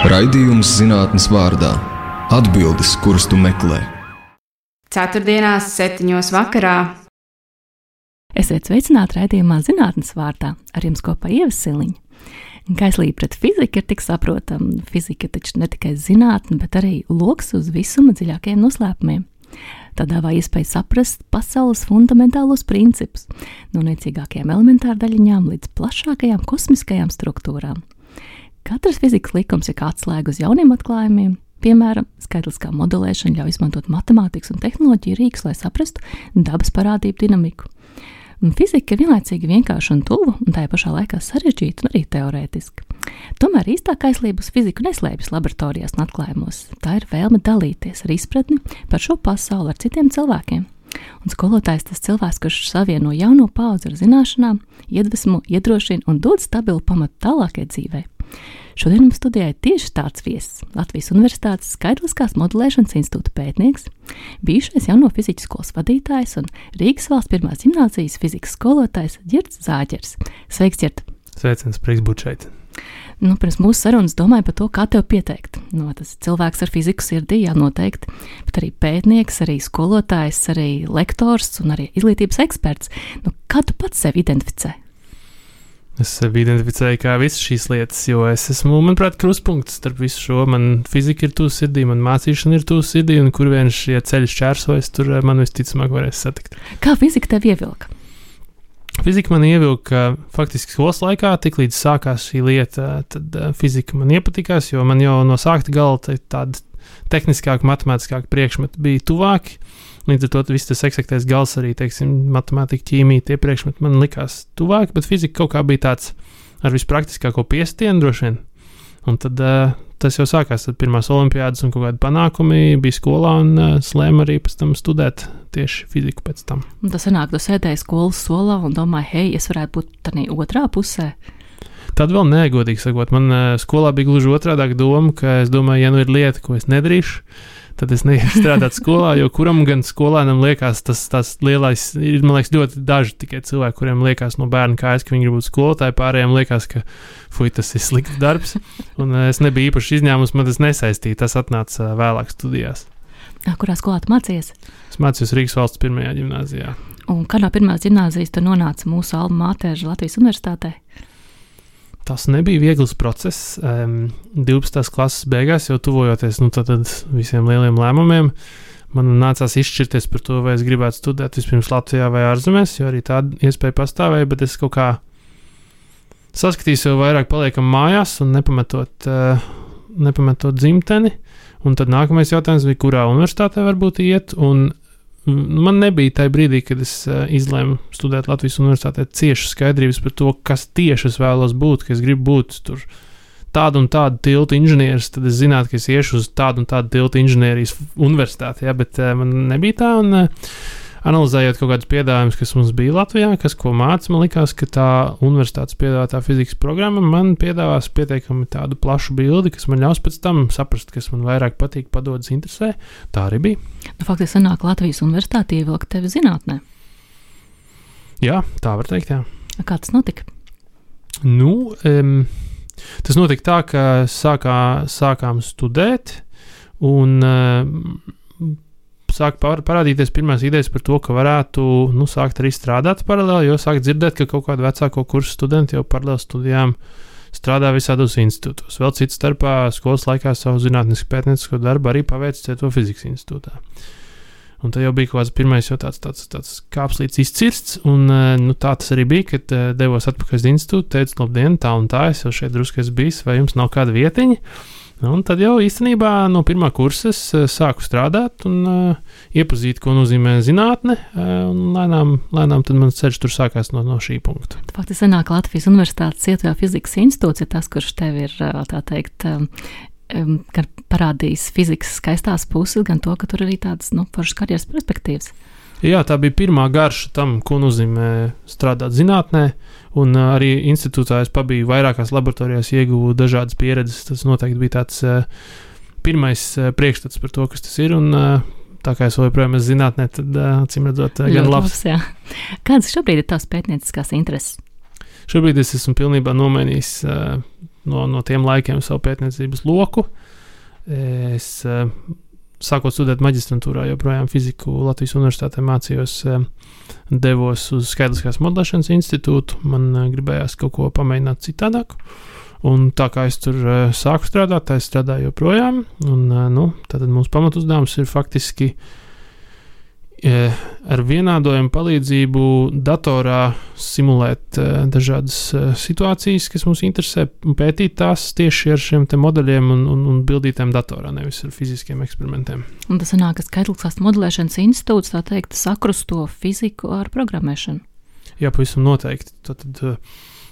Raidījums zinātnes vārdā – atbildes, kuras tu meklē. Ceturtdienās 7:00 vakarā. Esiet sveicināti raidījumā zinātnes vārdā, ar jums kopā Ieva Siliņa. Kaislība pret fiziku ir tik saprotama. Fizika taču ne tikai zinātne, bet arī loks uz visuma dziļākajiem noslēpumiem. Tā dāvā iespēju saprast pasaules fundamentālos principus, no niecīgākajām elementārdaļiņām līdz plašākajām kosmiskajām struktūrām. Katrs fizikas likums ir kā atslēga uz jauniem atklājumiem. Piemēram, skaitliskā modelēšana ļauj izmantot matemātikas un tehnoloģiju rīkus, lai saprastu dabas parādību dinamiku. Fizika ir vienlaicīgi vienkārša un tuva, un tajā pašā laikā sarežģīta un arī teorētiska. Tomēr īstā kaislība uz fiziku neslēpjas laboratorijās un atklājumos. Tā ir vēlme dalīties ar izpratni par šo pasauli ar citiem cilvēkiem. Un skolotājs tas cilvēks, kurš savieno jauno paudzi ar zināšanām, iedvesmo, iedrošina un dod stabilu pamatu tālākai dzīvei. Šodien mums studijā ir tieši tāds viesis – Latvijas Universitātes Skaitliskās modelēšanas institūta pētnieks, bijušais jauno fizikas skolas vadītājs un Rīgas valsts pirmās ģimnāzijas fizikas skolotājs Ģirds Zāģers. Sveiks, Ģirt! Sveiciens, prieks būt šeit! Pirms mūsu sarunas domāju par to, kā tev pieteikt. Tas cilvēks ar fiziku sirdī, jā, noteikti, bet arī pētnieks, arī skolotājs, arī lektors un arī izglītības eksperts. Kā tu pats sevi identificē? Es sevi identificēju kā visas šīs lietas, jo es esmu, manuprāt, krustpunkts starp visu šo. Man fizika ir tuvu sirdī, man mācīšana ir tuvu sirdī, un kur vien šie ceļi šķērsojas, tur man visticamāk varēs satikt. Kā fizika tev ievilka? Fizika man ievilka faktiski skolas laikā, tiklīdz sākās šī lieta, tad fizika man iepatikās, jo man jau no sākta gala tādi tehniskāki, matemātiskāki priekšmeti bija tuvāki. Līdz ar to viss tas eksaktais gals arī, teiksim, matemātika, ķīmija, tie priekšmeti man likās tuvāki, bet fizika kaut kā bija tāds ar vispraktiskāko piestienu droši vien. Un tad tas jau sākās, tad pirmās olimpiādas un kaut kādi panākumi bija skolā un slēma arī pēc tam studēt tieši fiziku pēc tam. Un tas sanāk, tu sēdēji skolas solā un domāji, hei, es varētu būt tādā otrā pusē. Tad vēl negodīgi sakot, man skolā bija gluži otrādāk doma, ka es domāju, ja nu ir lieta, ko es nedarīšu, tad es neiešu strādāt skolā, jo kuram gan skolēnam liekas tas lielais, ir, man liekas, ļoti daži tikai cilvēki, kuriem liekas no bērna kājas, ka viņi grib būt skolotāji, pārējiem liekas, ka tas ir slikts darbs, un es nebiju īpaši izņēmums, man tas nesaistīja, tas atnāca vēlāk studijās. Kurā skolā tu mācījies? Es mācījos Rīgas valsts pirmajā ģimnāzijā. Un kādā pirmās ģimnāzijas tu nonāca mūsu alma mater Latvijas Universitātē? Tas nebija viegls process. 12. klases beigās, jau tuvojoties tad visiem lieliem lēmumiem, man nācās izšķirties par to, vai es gribētu studēt vispirms Latvijā vai ārzemēs, jo arī tāda iespēja pastāvēja, bet es kaut kā saskatīju sev vairāk paliekam mājās un nepametot dzimteni. Un tad nākamais jautājums bija, kurā universitātē varbūt iet, un man nebija tajā brīdī, kad es izlēmu studēt Latvijas Universitātē cieši skaidrības par to, kas tieši es vēlos būt, ka es gribu būt tur tādu un tādu tiltu inženieris, tad es zinātu, ka es iešu uz tādu un tādu tiltu inženierijas universitāti, jā, bet man nebija tā, un analizējot kaut kādus piedāvājumus, kas mums bija Latvijā, kas ko māca, man likās, ka tā universitātes piedāvātā fizikas programma man piedāvās pietiekami tādu plašu bildi, kas man ļaus pēc tam saprast, kas man vairāk patīk, padodas, interesē. Tā arī bija. Faktiski sanāk Latvijas Universitāte ievilka tevi zinātnē. Jā, tā var teikt, jā. Kā tas notika? Tas notika tā, ka sākām studēt un sāk parādīties pirmās idejas par to, ka varētu sākt arī strādāt paralēli, jo sāk dzirdēt, ka kaut kādu vecāko kursu studenti jau paralēli studijām strādā visādos institūtos. Vēl cits starpā skolas laikā savu zinātnisku pētniecisko darbu arī paveic Cieto fizikas institūtā. Un tad jau bija kaut kāds pirmais jau tāds kāpslīts izcirsts, un tā tas arī bija, kad devos atpakaļ uz institūtu, teicu, labdien, tā un tā, es jau šeit drusku esmu bijis, vai jums nav kāda vietiņa? Un tad jau īstenībā no pirmā kursa es sāku strādāt un iepazīt, ko nozīmē zinātne, un lēnām tad mans ceļš tur sākās no šī punkta. Faktiski sanāk Latvijas Universitātes Cieto fizikas institūts ir tas, kurš tev ir, tā teikt, gan parādījis fizikas skaistās puses, gan to, ka tur arī tādas, foršas karjeras perspektīvas. Jā, tā bija pirmā garša tam, ko nozīmē strādāt zinātnē, un arī institūtā es pabiju vairākās laboratorijās, ieguvu dažādas pieredzes. Tas noteikti bija tāds pirmais priekšstats par to, kas tas ir, un tā kā es vēl joprojām esmu zinātnē, tad acīm redzot gan labs. Kādas šobrīd ir tavas pētnieciskās intereses? Šobrīd es esmu pilnībā nomainījis no tiem laikiem savu pētniecības loku. Es sākot studēt maģistrantūrā, joprojām fiziku Latvijas universitātē mācījos, devos uz skaitliskās modelēšanas institūtu. Man gribējās kaut ko pamēģināt citādāk. Un tā kā es tur sāku strādāt, tā es strādāju joprojām. Un, tātad mūsu pamatuzdevums ir faktiski ar vienādojumu palīdzību datorā simulēt dažādas situācijas, kas mums interesē, un pētīt tās tieši ar šiem te modeļiem un bildītēm datorā, nevis ar fiziskiem eksperimentiem. Un tas sanāk, ka skaitliskās modelēšanas institūts, tā teikt, sakrusto fiziku ar programmēšanu. Jā, pavisam noteikti. Tad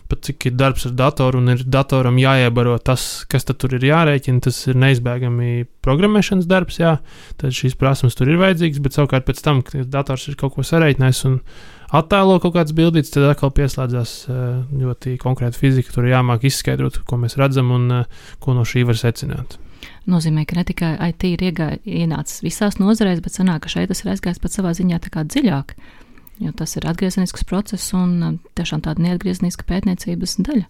pat cik ir darbs ar datoru un ir datoram jāiebaro tas, kas tad tur ir jārēķina, tas ir neizbēgami programmēšanas darbs, jā, tad šīs prasmes tur ir vajadzīgas, bet savukārt pēc tam, kad dators ir kaut ko sarēķinājis un attēlo kaut kāds bildīts, tad atkal pieslēdzās ļoti konkrēta fizika, tur jāmāk izskaidrot, ko mēs redzam un ko no šī var secināt. Nozīmē, ka ne tikai IT ir ienācis visās nozarēs, bet sanāk, ka šeit tas ir aizgājis pat savā ziņā tā kā dziļāk. Jo tas ir atgriezenisks process un tiešām tāda neatgriezeniska pētniecības daļa.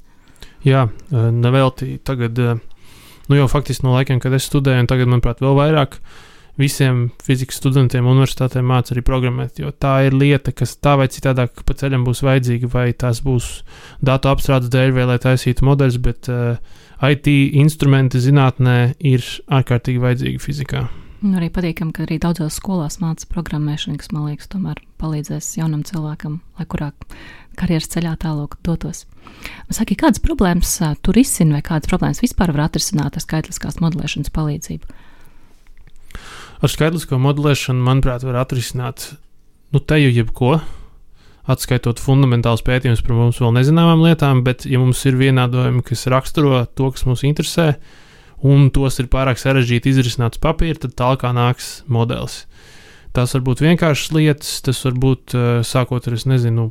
Jā, nevelti tagad, jau faktiski no laikiem, kad es studēju, un tagad, manuprāt, vēl vairāk visiem fizikas studentiem universitātē māca arī programmēt, jo tā ir lieta, kas tā vai citādāk pa ceļam būs vajadzīga, vai tās būs datu apstrādes dēļ, vai lai taisītu modeļus, bet IT instrumenti zinātnē ir ārkārtīgi vajadzīgi fizikā. Arī patīkam, ka arī daudzās skolās māca programmēšanu, kas, man liekas, tomēr palīdzēs jaunam cilvēkam, lai kurā karjeras ceļā tālāk dotos. Saki, kādas problēmas tu risini vai kādas problēmas vispār var atrisināt ar skaitliskās modelēšanas palīdzību? Ar skaitlisko modelēšanu, manuprāt, var atrisināt teju jebko, atskaitot fundamentāls pētījums par mums vēl nezināmām lietām, bet ja mums ir vienādojumi, kas raksturo to, kas mums interesē, un tos ir pārāk sarežģīti izrisināt uz papīra, tad tālāk nāks modelis. Tās var būt vienkāršas lietas, tas var būt sākot ar, es nezinu,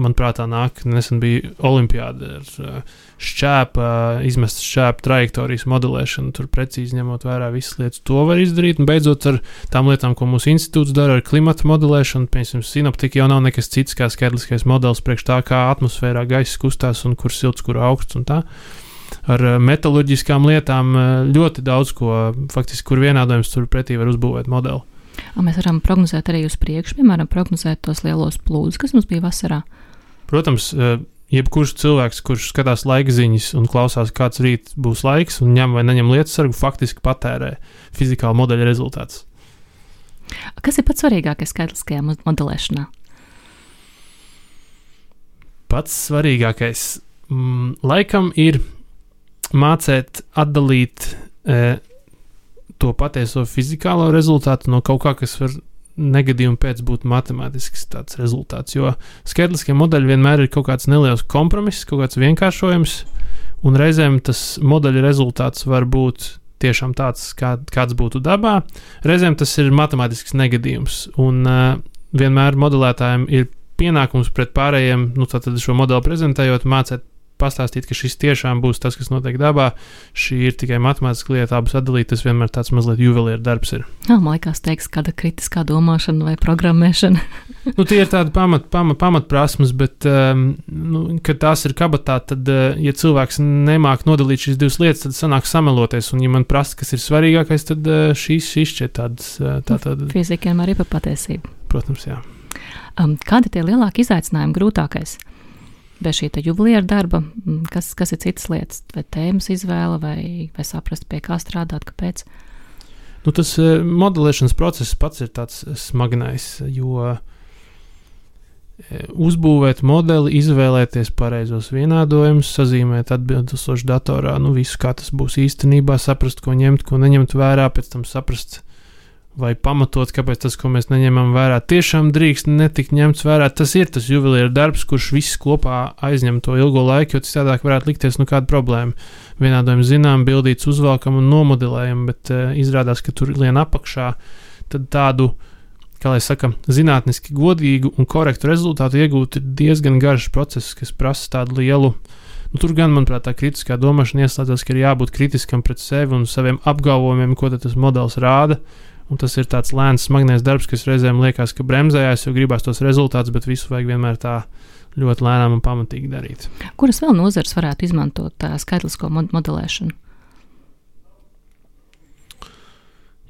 man prātā nāk, nesen bija olimpiāda ar izmestas šķēpa trajektorijas modelēšanu, tur precīzi ņemot vērā visas lietas, to var izdarīt, un beidzot ar tām lietām, ko mūsu institūts dara ar klimata modelēšanu, piemēram, sinoptika jau nav nekas cits kā skaitliskais modelis priekš tā, kā atmosfērā gaiss kustās un kur silts, kur augsts un tā. Ar metaloģiskām lietām ļoti daudz ko, faktiski, kur vienādojums tur pretī var uzbūvēt modeli. Mēs varam prognozēt arī uz priekšu, piemēram, prognozēt tos lielos plūdus, kas mums bija vasarā. Protams, jebkurš cilvēks, kurš skatās laika ziņas un klausās, kāds rīt būs laiks un ņem vai neņem lietas sargu, faktiski patērē fizikāla modeļa rezultātus. Kas ir pats svarīgākais skaitliskajā modelēšanā? Pats svarīgākais laikam ir mācēt atdalīt to patieso fizikālo rezultātu no kaut kā, kas var negadījumu pēc būt matemātisks tāds rezultāts, jo skaitliskie modeļi vienmēr ir kaut kāds neliels kompromiss, kaut kāds vienkāršojums, un reizēm tas modeļa rezultāts var būt tiešām tāds, kāds būtu dabā, reizēm tas ir matemātisks negadījums, un vienmēr modelētājiem ir pienākums pret pārējiem, tātad šo modeli prezentējot, mācēt pastāstīt, ka šis tiešām būs tas, kas notiek dabā. Šī ir tikai matemātiska lieta, abas atdalīt, tas vienmēr tāds mazliet juvelieru darbs ir. Man liekas, teiks, kāda kritiskā domāšana vai programmēšana. Tie ir tādi pamatprasmes, bet, kad tās ir kabatā, tad, ja cilvēks nemāk nodalīt šīs divas lietas, tad sanāk sameloties, un ja man prasa, kas ir svarīgākais, tad šīs šķiet tādas. Fizikiem arī par patiesību. Protams, jā. Kādi tie lielāki izaicinājumi, grūtākais? Bez šī juvelieru darba, kas ir citas lietas, vai tēmas izvēle, vai saprast, pie kā strādāt, kāpēc? Tas modelēšanas process pats ir tāds smagnējs, jo uzbūvēt modeli, izvēlēties pareizos vienādojumus, sazīmēt atbilstoši datorā, visu, kā tas būs īstenībā, saprast, ko ņemt, ko neņemt vērā, pēc tam saprast, vai pamatot, kāpēc tas, ko mēs neņemam vērā, tiešām drīkst netikt ņemts vērā. Tas ir tas juvelieru darbs, kurš viss kopā aizņem to ilgo laiku, jo citādāk varētu likties kāda problēma. Vienādojumi zinām, bildīts uzvalkam un nomodelējam, bet izrādās, ka tur lien apakšā, tad tādu, kā lai saka, zinātniski godīgu un korektu rezultātu iegūt ir diezgan garš process, kas prasa tādu lielu. Tur gan, manuprāt, tā kritiskā domāšana ieslēdzas, ka ir jābūt kritiskam pret sevi un saviem apgalvojumiem, ko tas modelis rāda. Un tas ir tāds lēns, smagnējs darbs, kas reizēm liekas, ka bremzējās, jo gribās tos rezultātus, bet visu vajag vienmēr tā ļoti lēnām un pamatīgi darīt. Kuras vēl nozares varētu izmantot skaitlisko modelēšanu?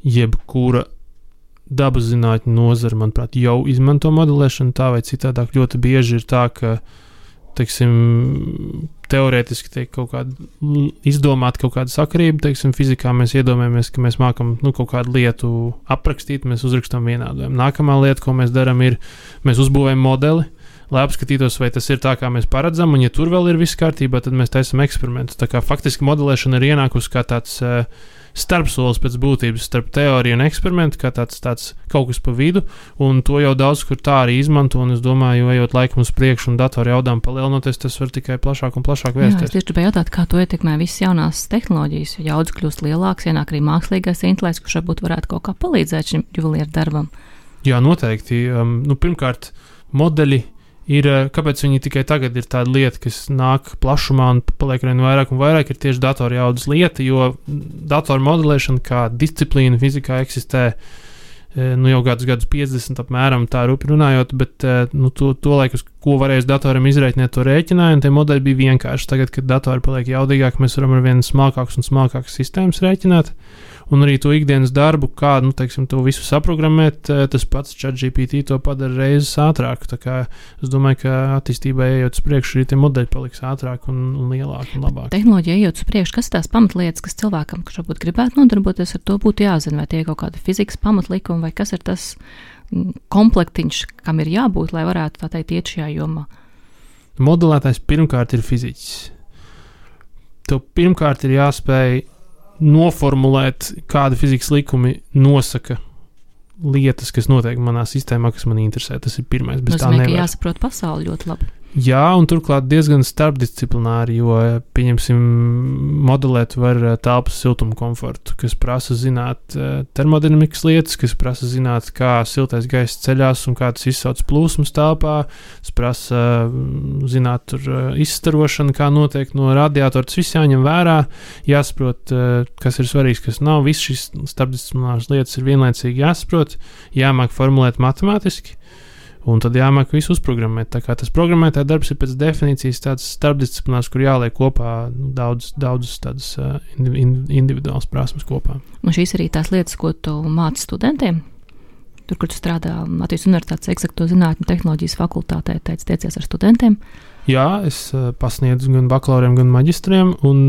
Jebkura dabas zinātņu nozara, manuprāt, jau izmanto modelēšanu tā vai citādāk. Ļoti bieži ir tā, ka, teiksim, teorētiski tiek kaut kāda izdomāta kaut kāda sakarība, teiksim, fizikā mēs iedomājamies, ka mēs mākam kaut kādu lietu aprakstīt, mēs uzrakstam vienādojumu. Nākamā lieta, ko mēs darām, ir, mēs uzbūvējam modeli, lai apskatītos, vai tas ir tā, kā mēs paredzam, un ja tur vēl ir viss kārtībā, tad mēs taisam eksperimentus. Tā kā faktiski modelēšana ir ienākusi kā tāds starpsolis pēc būtības starp teoriju un eksperimentu, kā tāds kaut kas pa vidu, un to jau daudz kur tā arī izmanto, un es domāju, ejot laikam uz priekšu un datoru jaudām palielinoties, tas var tikai plašāk un plašāk vērsties. Jā, es tieši gribēju jautāt, kā to ietekmē visas jaunās tehnoloģijas, jo jaudas kļūst lielāks, ienāk arī mākslīgais intelekts, kurš varbūt varētu kaut kā palīdzēt šim juvelieru darbam. Jā, noteikti. Pirmkārt, modeļi ir, kāpēc viņi tikai tagad ir tāda lieta, kas nāk plašumā un paliek vien vairāk un vairāk, ir tieši datoru jaudas lieta, jo datoru modelēšana kā disciplīna fizikā eksistē jau gadus 50 apmēram tā rupi runājot, bet to laiku, ko varēs datoram izreikināt, to rēķināja, un tie modeļi bija vienkārši. Tagad, kad datori paliek jaudīgāk, mēs varam ar vien smalkākas un smalkākas sistēmas rēķināt, un arī to ikdienas darbu, kā, teiksim, to visu saprogrammēt, tas pats ChatGPT to padara reizes ātrāk. Tā kā es domāju, ka attīstībai ejot uz priekšu, arī tie modeļi paliks ātrāk un lielāk un labāk. Tehnoloģija ejot uz priekšu, kas tās pamatlietas, kas cilvēkam, kurš varbūt gribētu nodarboties ar to, būtu jāzina, vai tie ir kaut kāda fizikas pamatlikuma, vai kas ir tas komplektiņš, kam ir jābūt, lai varētu tā teikt iet šajā jomā? Modelētājs pirmkārt ir fiziķis. Tev pirmkārt ir jāspēj noformulēt, kāda fizikas likumi nosaka lietas, kas notiek manā sistēmā, kas man interesē. Tas ir pirmais. Bez tā nevar. Ka jāsaprot pasauli ļoti labi. Jā, un turklāt diezgan starpdisciplināri, jo, pieņemsim, modelēt var telpas siltumu komfortu, kas prasa zināt termodinamikas lietas, kas prasa zināt, kā siltais gaiss ceļās un kā tas izsauc plūsmas telpā, tas prasa zināt tur izstarošanu, kā notiek no radiatora, tas viss jāņem vērā, jāsaprot, kas ir svarīgs, kas nav, viss šis starpdisciplināras lietas ir vienlaicīgi jāsaprot, jāmāk formulēt matemātiski, un tad jāmāk visu uzprogrammēt. Tā kā tas programmētāja darbs ir pēc definīcijas tāds starpdisciplinārs, kur jāliek kopā daudzas tādas individuālas prasmes kopā. Un šīs arī tās lietas, ko tu māci studentiem? Tur, kur tu strādā Latvijas Universitātes eksakto zinātņu tehnoloģijas fakultātē, tiecies ar studentiem? Jā, es pasniedzu gan bakalauriem, gan maģistriem, un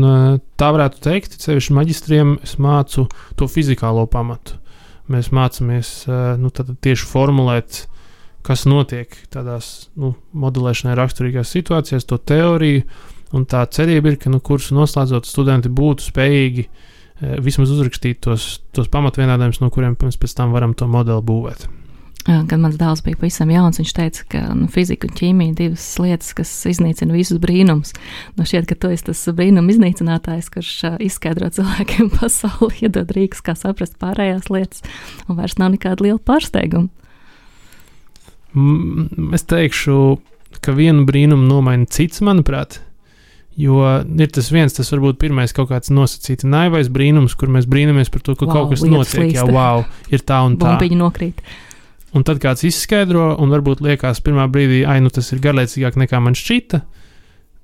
tā varētu teikt, sevišķi maģistriem es mācu to fizikālo pamatu. Mēs mācāmies tad tieši formulēt, kas notiek tādās modelēšanai raksturīgās situācijās, to teoriju, un tā cerība ir, ka kursu noslēdzot studenti būtu spējīgi vismaz uzrakstīt tos pamatvienādājumus, no kuriem mēs pēc tam varam to modeli būvēt. Kad mans dēls bija pavisam jauns, viņš teica, ka fizika un ķīmija divas lietas, kas iznīcina visus brīnums. Šķiet, ka tu esi tas brīnuma iznīcinātājs, kurš izskaidro cilvēkiem pasauli, iedod rīkus, kā saprast pārējās lietas, un vairs nav nekāda liela pārsteiguma. Es teikšu, ka vienu brīnumu nomaina cits, manuprāt, jo ir tas varbūt pirmais kaut kāds nosacīti naivais brīnums, kur mēs brīnamies par to, ka kaut kas notiek, ir tā un tā. Bumbiņi nokrīt. Un tad kāds izskaidro, un varbūt liekas pirmā brīdī, tas ir garlaicīgāk nekā man šķita,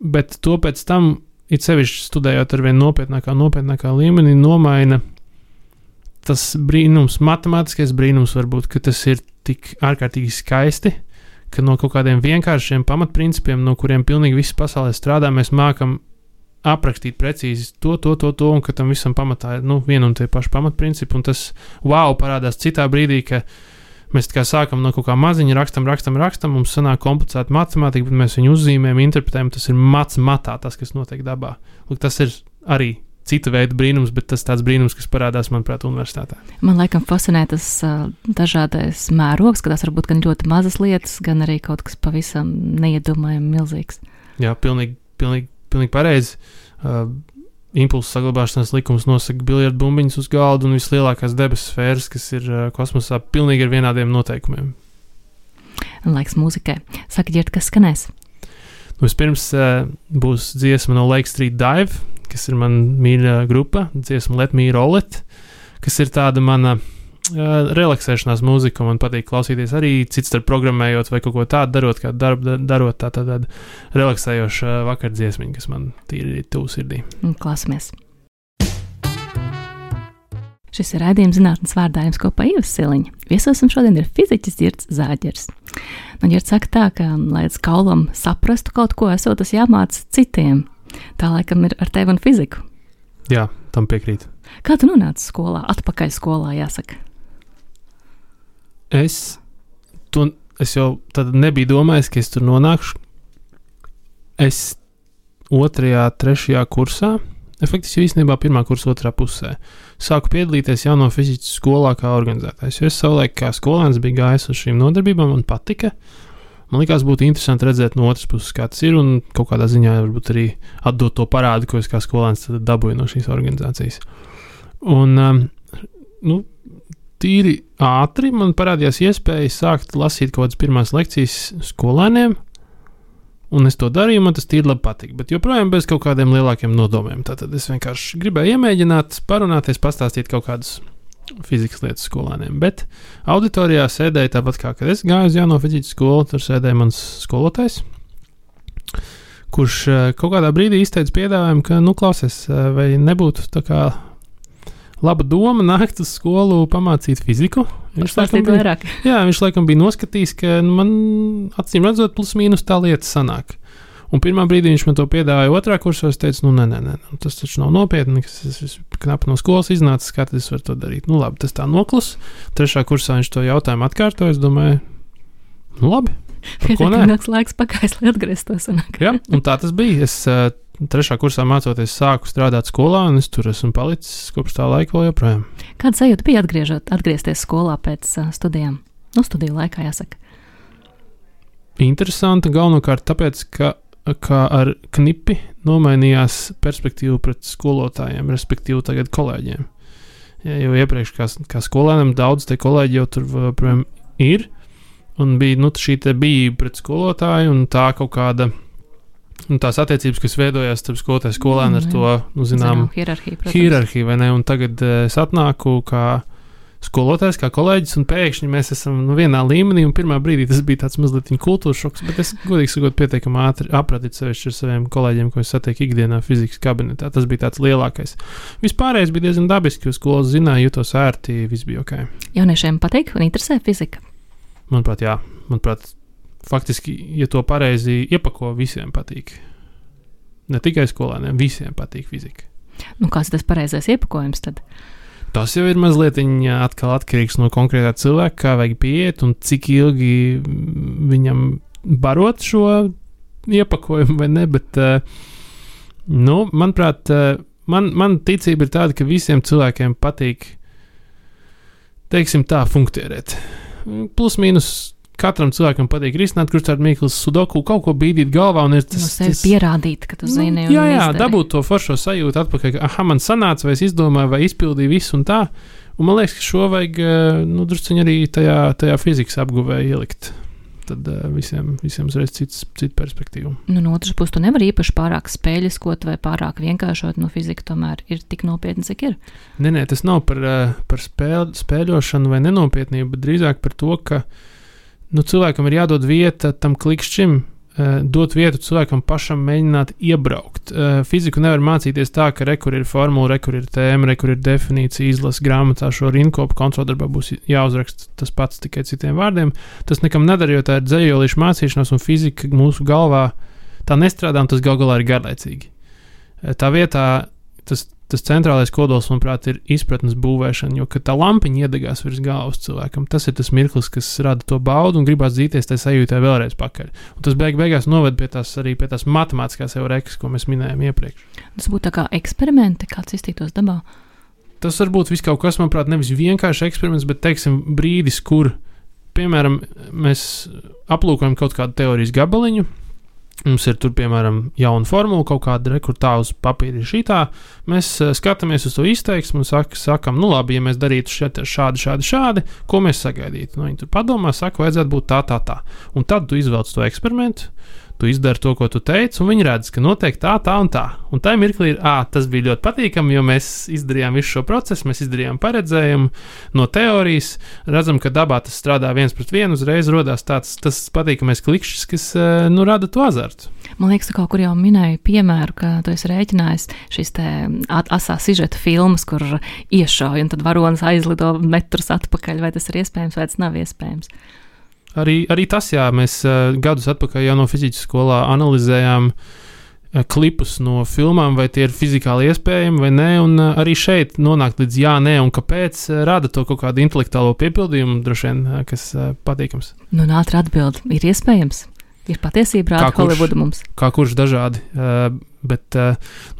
bet to pēc tam, it sevišķi studējot ar vien nopietnākā līmenī, nomaina tas brīnums, matemātiskais brīnums varbūt, ka tas ir tik ārkārtīgi skaisti, ka no kaut kādiem vienkāršiem pamatprincipiem, no kuriem pilnīgi viss pasaulē strādā, mēs mākam aprakstīt precīzi to, un ka tam visam pamatā ir viena un tie paši pamatprincipi, un tas parādās citā brīdī, ka mēs tā kā sākam no kaut kā maziņa, rakstam, mums sanāk komplicēta matemātika, bet mēs viņu uzzīmējam, interpretējam, tas ir matā, tas, kas notiek dabā. Lūk, tas ir arī cita veida brīnums, bet tas tāds brīnums, kas parādās, manuprāt, universitātē. Man laikam fascinē tas dažādais mērogs, ka tās var būt gan ļoti mazas lietas, gan arī kaut kas pavisam neiedomājami milzīgs. Jā, pilnīgi pareizi. Impulsu saglabāšanas likums nosaka biljardu bumbiņas uz galda un vislielākās debesu sfēras, kas ir kosmosā, pilnīgi ar vienādiem noteikumiem. Laiks mūzikai. Saka, Ģirt, kas skanēs? Vispirms būs dziesma no Lake Street Dive, kas ir mana mīļā grupa, dziesma Let Me Roll It, kas ir tāda mana relaksēšanās mūziku, man patīk klausīties arī cits starp programmējot vai kaut ko tādu darot, kā darot tāda relaksējoša vakardziesmiņa, kas man tīri tuvu sirdī. Klausamies. Šis ir raidījums zinātnes vārdā jums kopā Ieva Siliņa. Viesosim šodien ir fiziķis Girts Zāģers. Girts saka tā, ka, lai kaulam saprastu kaut ko, esot tas jāmāc citiem. Tā laikam ir ar tevi un fiziku. Jā, tam piekrīt. Kā tu nonāci skolā? Atpakaļ skolā, jāsaka. Es jau tad nebiju domājis, ka es tur nonākšu. Es 2., 3. kursā, faktiski īstenībā 1. kursa 2. pusē, sāku piedalīties jauno fizikas skolā kā organizētājs. Es savulaik kā skolēns biju gājis uz šīm nodarbībām, man patika. Man likās būtu interesanti redzēt no otras puses, kā tas ir, un kaut kādā ziņā varbūt arī atdot to parādu, ko es kā skolēns dabūju no šīs organizācijas. Un, tīri ātri man parādījās iespēja sākt lasīt kaut kādas pirmās lekcijas skolēniem, un es to darīju, man tas tīri labi patika, bet joprojām bez kaut kādiem lielākiem nodomiem. Tātad es vienkārši gribēju iemēģināt, parunāties, pastāstīt kaut kādas fizikas lietas skolēniem, bet auditorijā sēdēja tāpat kā, kad es gāju uz jauno fizikas skolu, tur sēdēja mans skolotājs, kurš kaut kādā brīdī izteica piedāvājumu, ka, klausies, vai nebūtu tā kā laba doma nākt uz skolu pamācīt fiziku. Viņš laikam bija noskatījis, ka man acīm redzot plus mīnus tā lieta sanāk. Un pirmā brīdī viņš man to piedāvāja 2. kursā, es teicu, nē, tas taču nav nopietni, es knapi no skolas iznācis, kā tad es varu to darīt. Labi, tas tā noklus. 3. kursā viņš to jautājumu atkārtoja, es domāju, labi. Pietiekams laiks pagājis, lai atgrieztos. Jā, un tā tas bija. Es 3. kursā mācoties sāku strādāt skolā, un es tur esmu palicis kopš tā laika vēl joprojām. Kāda sajūta bija atgriezties skolā pēc studijām? Studiju laikā, jāsaka. Interesanti, galvenokārt tāpēc, ka ar knipi nomainījās perspektīva pret skolotājiem, respektīvi tagad kolēģiem. Ja, jo iepriekš kā skolēniem daudz te kolēģi jau tur protams ir, un bija šī te bijība pret skolotāju, un tā kaut kāda, tās attiecības, kas veidojās starp skolotāju skolēnu ar to, zinām, hierarhiju, vai ne, un tagad es atnāku kā skolotājs, kā kolēģis, un pēkšņi mēs esam vienā līmenī, un pirmā brīdī tas bija tāds mazliet kultūras šoks, bet es godīgi sakot pietiekami ātri apratit sevišķi ar saviem kolēģiem, ko es satieku ikdienā fizikas kabinetā. Tas bija tāds lielākais. Vispārējais bija diezgan dabiski, jo skolas zināja, jutos ērti, viss bija ok. Jauniešiem patīk un interesē fizika? Manuprāt, jā. Manuprāt, faktiski, ja to pareizi iepako, visiem patīk. Ne tikai skolēniem, visiem patīk fizika. Kāds tas pareizais iepakojums tad? Tas jau ir mazliet atkal atkarīgs no konkrētā cilvēka, kā vajag pieiet un cik ilgi viņam barot šo iepakojumu vai ne, bet, manuprāt, man ticība ir tāda, ka visiem cilvēkiem patīk, teiksim tā, funkcionēt. Plus mīnus katram cilvēkam patīk risināt, kurš tādu mīklas sudoku, kaut ko bīdīt galvā un ir tas... sevi pierādīt, ka tu zini un jā, izdari. Dabūt to foršo sajūtu atpakaļ, ka man sanāca, vai es izdomāju, vai izpildīju visu un tā. Un man liekas, ka šo vajag, drusciņi arī tajā fizikas apguvē ielikt. Tad visiem uzreiz cita perspektīva. No otras puses, tu nevari īpaši pārāk spēļiskot vai pārāk vienkāršot, fizika tomēr ir tik nopietna, cik ir. Nē, tas nav par spēļošanu vai nenopietnību, bet drīzāk par to, ka cilvēkam ir jādod vieta tam klikšķim, dot vietu cilvēkam pašam mēģināt iebraukt. Fiziku nevar mācīties tā, ka rekur ir formula, rekur ir tēma, rekur ir definīcija, izlas grāmatā šo rinkopu, kontroldarbā būs jāuzraksta tas pats tikai citiem vārdiem. Tas nekam nedara, jo tā ir dzējolīša mācīšanās un fizika mūsu galvā tā nestrādā un tas galā ir garlaicīgi. Tā vietā tas centrālais kodols, manuprāt, ir izpratnes būvēšana, jo, kad tā lampiņa iedegās virs galvas cilvēkam, tas ir tas mirklis, kas rada to baudu un gribās dzīties tai sajūtai vēlreiz pakaļ. Un tas beigās noved pie tās matemātiskās eurekas, ko mēs minējām iepriekš. Tas būtu tā kā eksperimenti, kāds iztītos dabā? Tas varbūt viss kaut kas, manuprāt, nevis vienkārši eksperiments, bet, teiksim, brīdis, kur, piemēram, mēs aplūkojam kaut kādu teorijas gabaliņu. Mums ir tur, piemēram, jauna formula, kaut kāda rekurtā uz papīra ir šitā. Mēs skatāmies uz to izteiksmu un sakam, labi, ja mēs darītu šādi, ko mēs sagaidītu. Viņi tur padomā, saka, vajadzētu būt tā. Un tad tu izvelc to eksperimentu, tu izdari to, ko tu teici, un viņi redz, ka notiek tā un tā. Un tā mirklī ir, tas bija ļoti patīkami, jo mēs izdarījām visu šo procesu, mēs izdarījām paredzējumu no teorijas, redzam, ka dabā tas strādā 1:1, uzreiz rodās tas patīkamais klikšķis, kas, rada to azartu. Man liekas, tu kaut kur jau minēji piemēru, ka tu esi rēķinājis šīs te asā sižeta filmas, kur iešauj, un tad varonis aizlido metrus atpakaļ, vai tas ir iespējams, vai tas nav iespējams. Arī tas, jā, mēs gadus atpakaļ jau no fizikas skolā analizējām klipus no filmām, vai tie ir fizikāli iespējami vai nē, un arī šeit nonākt līdz jā, nē, un kāpēc rada to kaut kādu intelektuālo piepildījumu, droši vien, kas patīkams. Nu, ātri atbild, ir iespējams. Ir patiesība rāda Holivuda mums. Kā kurš dažādi, bet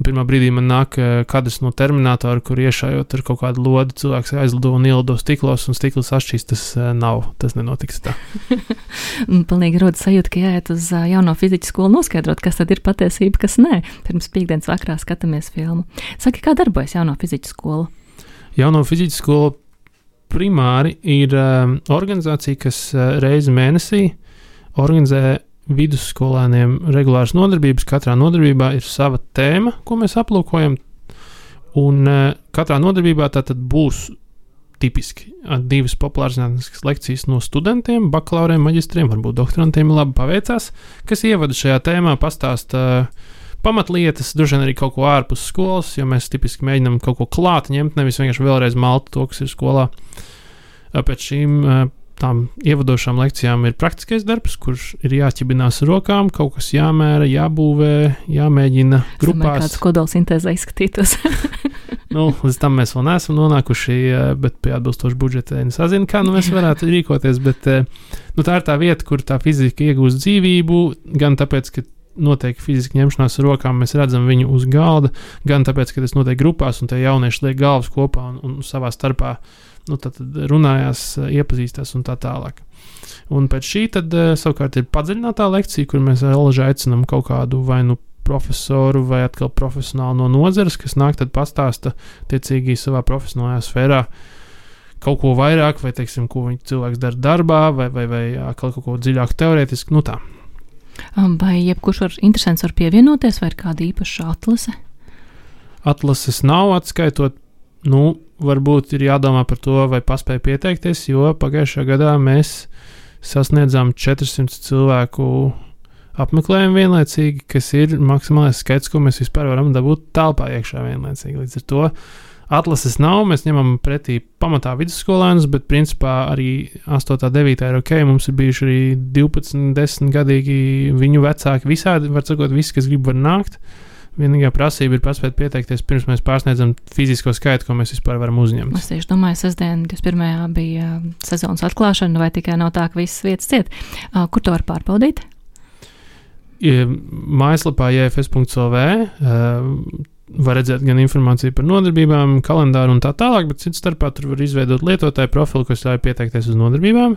pirmā brīdī man nāk kadrs no Terminatora, kur iešājot ar kaut kādu lodi, cilvēks aizlido un ielido stiklos, un stikls atšķīs, tas nenotiks tā. Pilnīgi rodas sajūta, ka jāiet uz jauno fizikas skolu noskaidrot, kas tad ir patiesība, kas nē. Pirms piektdienas vakarā skatāmies filmu. Saki, kā darbojas jauno fizikas skola? Jauno fizikas skola primāri ir organizācija, kas reizi mēnesī organizē vidusskolēniem regulāras nodarbības. Katrā nodarbībā ir sava tēma, ko mēs aplūkojam, un katrā nodarbībā tātad būs tipiski 2 populārzinātniskas lekcijas no studentiem, bakalauriem, maģistriem, varbūt doktorantiem labi paveicās, kas ievada šajā tēmā, pastāsta pamatlietas, droši vien arī kaut ko ārpus skolas, jo mēs tipiski mēģinām kaut ko klāt ņemt, nevis vienkārši vēlreiz malt to, kas ir skolā. Pēc šīm tām ievadošām lekcijām ir praktiskais darbs, kurš ir jāķibinās rokām, kaut kas jāmēra, jābūvē, jāmēģina grupās. Kāds kodolsintēzē izskatītos. Līdz tam mēs vēl neesam nonākuši, bet pie atbilstoša budžeta nesazinu, kā mēs varētu rīkoties, bet tā ir tā vieta, kur tā fizika iegūst dzīvību, gan tāpēc, ka notiek fiziski ņemšanās ar rokām, mēs redzam viņu uz galda, gan tāpēc, ka tas notiek grupās, un tie jaunieši liek galvas kopā un savā starpā tad runājās, iepazīstās un tā tālāk. Un pēc šī tad savukārt ir padziļinātā lekcija, kur mēs vēlaži aicinām kaut kādu vai profesoru vai atkal profesionālu no nozares, kas nāk tad pastāsta tiecīgi savā profesionālajā sfērā kaut ko vairāk, vai teiksim, ko cilvēks dara darbā, vai atkal kaut ko dziļāk teorētiski, tā. Vai jebkurš interesants var pievienoties, vai ir kāda īpaša atlase? Atlases nav, atskaitot, varbūt ir jādomā par to, vai paspēja pieteikties, jo pagājušajā gadā mēs sasniedzām 400 cilvēku apmeklējumu vienlaicīgi, kas ir maksimālais skaits, ko mēs vispār varam dabūt telpā iekšā vienlaicīgi. Līdz ar to atlases nav, mēs ņemam pretī pamatā vidusskolēnus, bet principā arī 8. 9. ir ok, mums ir bijuši arī 12, 10 gadīgi viņu vecāki, visādi, var sakot, visi, kas grib var nākt. Vienīgā prasība ir paspēt pieteikties, pirms mēs pārsniedzam fizisko skaitu, ko mēs vispār varam uzņemt. Es tieši domāju, sestdien 21. bija sezonas atklāšana, vai tikai nav tā, ka visas vietas ciet. Kur to var pārbaudīt? Mājaslapā jfs.lv var redzēt gan informāciju par nodarbībām, kalendāru un tā tālāk, bet cits starpā tur var izveidot lietotāju profilu, kas ļauj pieteikties uz nodarbībām.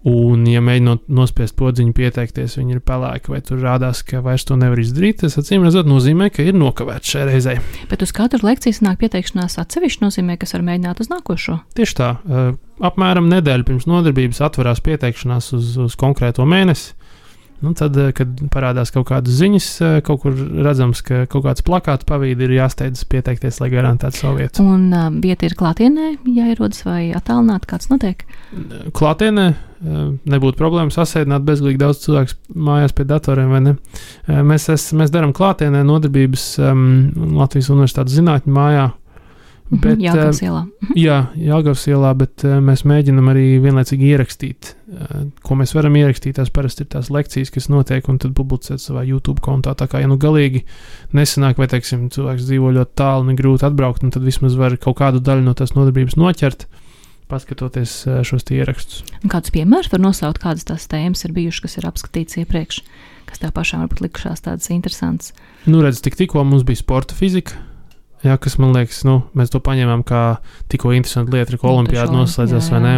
Un, ja mēģinot nospiest podziņu pieteikties, viņi ir pelēki, vai tur rādās, ka vairs to nevar izdarīt, tas acīm redzot nozīmē, ka ir nokavēts šai reizei. Bet uz katru lekciju sanāk pieteikšanās atsevišķi nozīmē, kas var mēģināt uz nākošo? Tieši tā. Apmēram nedēļu pirms nodarbības atverās pieteikšanās uz konkrēto mēnesi. Tad, kad parādās kaut kādas ziņas, kaut kur redzams, ka kaut kāds plakāts pavīdi ir jāsteidzas pieteikties, lai garantētu savu vietu. Un vieta ir klātienē, jāierodas vai attālināt, kāds notiek? Klātienē nebūtu problēma sasēdināt bezgalīgi daudz cilvēku mājās pie datoriem, vai ne? Mēs darām klātienē nodarbības Latvijas Universitātes zinātņu mājā. Bet, Jelgavas ielā. Jā, Jelgavas ielā, bet mēs mēģinam arī vienlaicīgi ierakstīt, ko mēs varam ierakstīt. Tās parasti ir tās lekcijas, kas notiek, un tad publicēt savā YouTube kontā. Tā kā, ja galīgi nesanāk, vai, teiksim, cilvēks dzīvo ļoti tālu un ir grūti atbraukt, un tad vismaz var kaut kādu daļu no tās nodarbības noķert, paskatoties šos ierakstus. Kādus piemērus var nosaukt, kādas tās tēmas ir bijušas, kas ir apskatīts iepriekš, kas tev pašām varbūt likušās tādas interesantas? Redz, tikko mums bija sporta fizika. Jā, kas man liekas, mēs to paņēmām kā tikko interesantu lietu, ka olimpiāda noslēdzās, vai ne?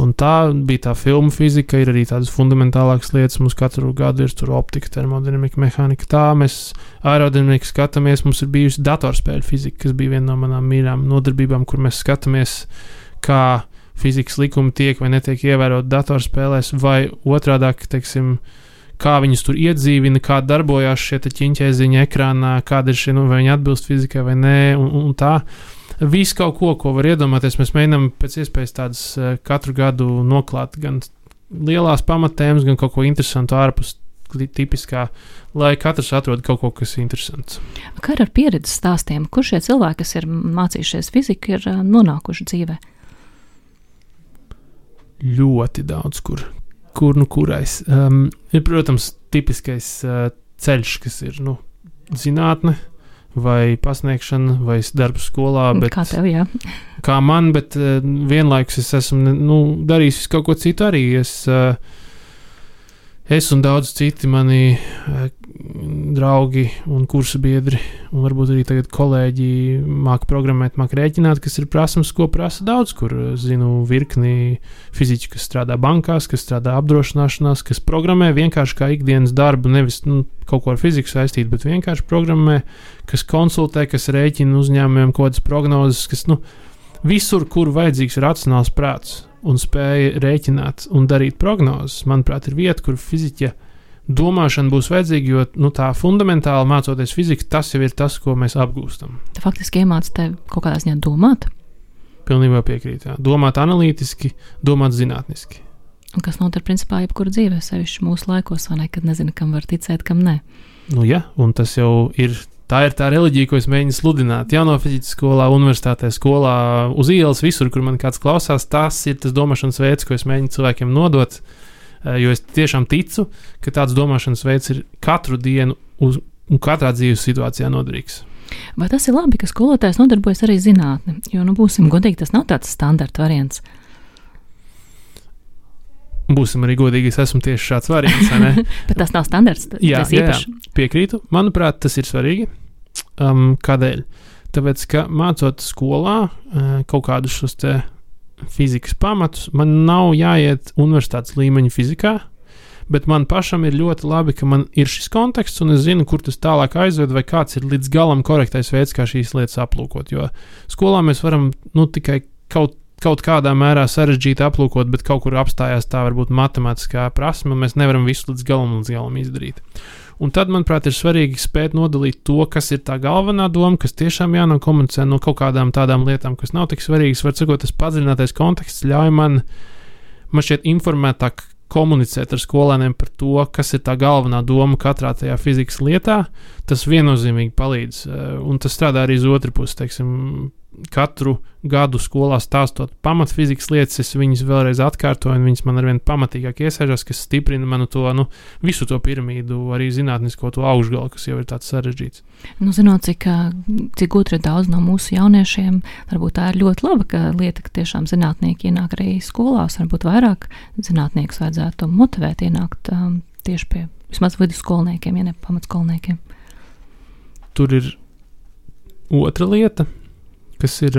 Un tā bija tā filmu fizika, ir arī tādas fundamentālākas lietas. Mums katru gadu ir tur optika, termodinamika, mehānika. Tā mēs aerodinamiku skatāmies. Mums ir bijusi datorspēļu fizika, kas bija viena no manām mīļām nodarbībām, kur mēs skatāmies, kā fizikas likumi tiek vai netiek ievērot datorspēlēs, vai otrādāk, teiksim, kā viņus tur iedzīvina, kā darbojās šie ķiņķēziņi ekrānā, kāda ir šie, vai viņi atbilst fizikai vai nē, un tā. Visu kaut ko var iedomāties. Mēs mēģinām pēc iespējas tādas katru gadu noklāt gan lielās pamatēmas, gan kaut ko interesantu ārpus tipiskā, lai katrs atrod kaut ko, kas ir interesants. Kā ar pieredzes stāstiem? Kur šie cilvēki, kas ir mācījušies fiziku, ir nonākuši dzīvē? Ļoti daudz, kurais. Ir, protams, tipiskais ceļš, kas ir, zinātne, vai pasniegšana, vai darbs skolā. Bet, kā tev, jā? Kā man, bet vienlaikus es esmu darījis kaut ko citu arī. Es un daudz citi mani draugi un kursu biedri, un varbūt arī tagad kolēģi māca programmēt, māca rēķināt, kas ir prasmes, ko prasa daudz, kur zinu virkni fiziķi, kas strādā bankās, kas strādā apdrošināšanās, kas programmē vienkārši kā ikdienas darbu, nevis kaut ko ar fiziku saistīt, bet vienkārši programmē, kas konsultē, kas rēķina uzņēmumiem kaut kādas prognozes, kas visur, kur vajadzīgs racionāls prāts un spēja rēķināt un darīt prognozes, manuprāt, ir vieta, kur fiziķa domāšana būs vajadzīga, jo tā fundamentāli mācoties fiziku, tas jau ir tas, ko mēs apgūstam. Tu faktiski iemāci tev kaut kādā ziņā domāt? Pilnībā piekrīt, jā. Domāt analītiski, domāt zinātniski. Un kas notiek principā jebkura dzīvē, sevišķi mūsu laikos, vai ne, kad nezinu, kam var ticēt, kam nē. Jā, un tas jau ir. Tā ir tā reliģija, ko es mēģinu sludināt. Jauno fizikas skolā, universitātē, skolā, uz ielas, visur, kur man kāds klausās. Tas ir tas domāšanas veids, ko es mēģinu cilvēkiem nodot. Jo es tiešām ticu, ka tāds domāšanas veids ir katru dienu un katrā dzīves situācijā noderīgs. Vai tas ir labi, ka skolotājs nodarbojas arī zinātni? Jo, būsim godīgi, tas nav tāds standarta variants. Būsim arī godīgi, es esmu tieši šāds variants, vai ne? Bet tas nav standarts, tas īpaši. Jā, piekrītu. Manuprāt, tas ir svarīgi. Kādēļ? Tāpēc, ka mācot skolā kaut kādus šos te fizikas pamatus, man nav jāiet universitātes līmeņa fizikā, bet man pašam ir ļoti labi, ka man ir šis konteksts, un es zinu, kur tas tālāk aizved, vai kāds ir līdz galam korektais veids, kā šīs lietas aplūkot. Jo skolā mēs varam tikai kaut kādā mērā sarežģīti aplūkot, bet kaut kur apstājās tā varbūt matemātiskā prasme, un mēs nevaram visu līdz galam izdarīt. Un tad, manuprāt, ir svarīgi spēt nodalīt to, kas ir tā galvenā doma, kas tiešām jānokomunicē no kaut kādām tādām lietām, kas nav tik svarīgas. Var sakot, tas padziļinātais konteksts ļauj man šķiet informētāk komunicēt ar skolēniem par to, kas ir tā galvenā doma katrā tajā fizikas lietā. Tas viennozīmīgi palīdz, un tas strādā arī uz otru pusi, teiksim, katru gadu skolā stāstot pamatfizikas lietas, es viņas vēlreiz atkārtoju, un viņas man arvien pamatīgāk iesēžas, kas stiprina manu to, visu to piramīdu, arī zinātnisko to augšgalu, kas jau ir tāds sarežģīts. Zinot, cik gudri ir daudz no mūsu jauniešiem, varbūt tā ir ļoti laba, ka lieta, ka tiešām zinātnieki ienāk arī skolās, varbūt vairāk zinātniekus vajadzētu motivēt ienākt tieši pie vismaz vidusskolniekiem, ja ne pamatskolniekiem. Tur ir otra lieta, kas ir,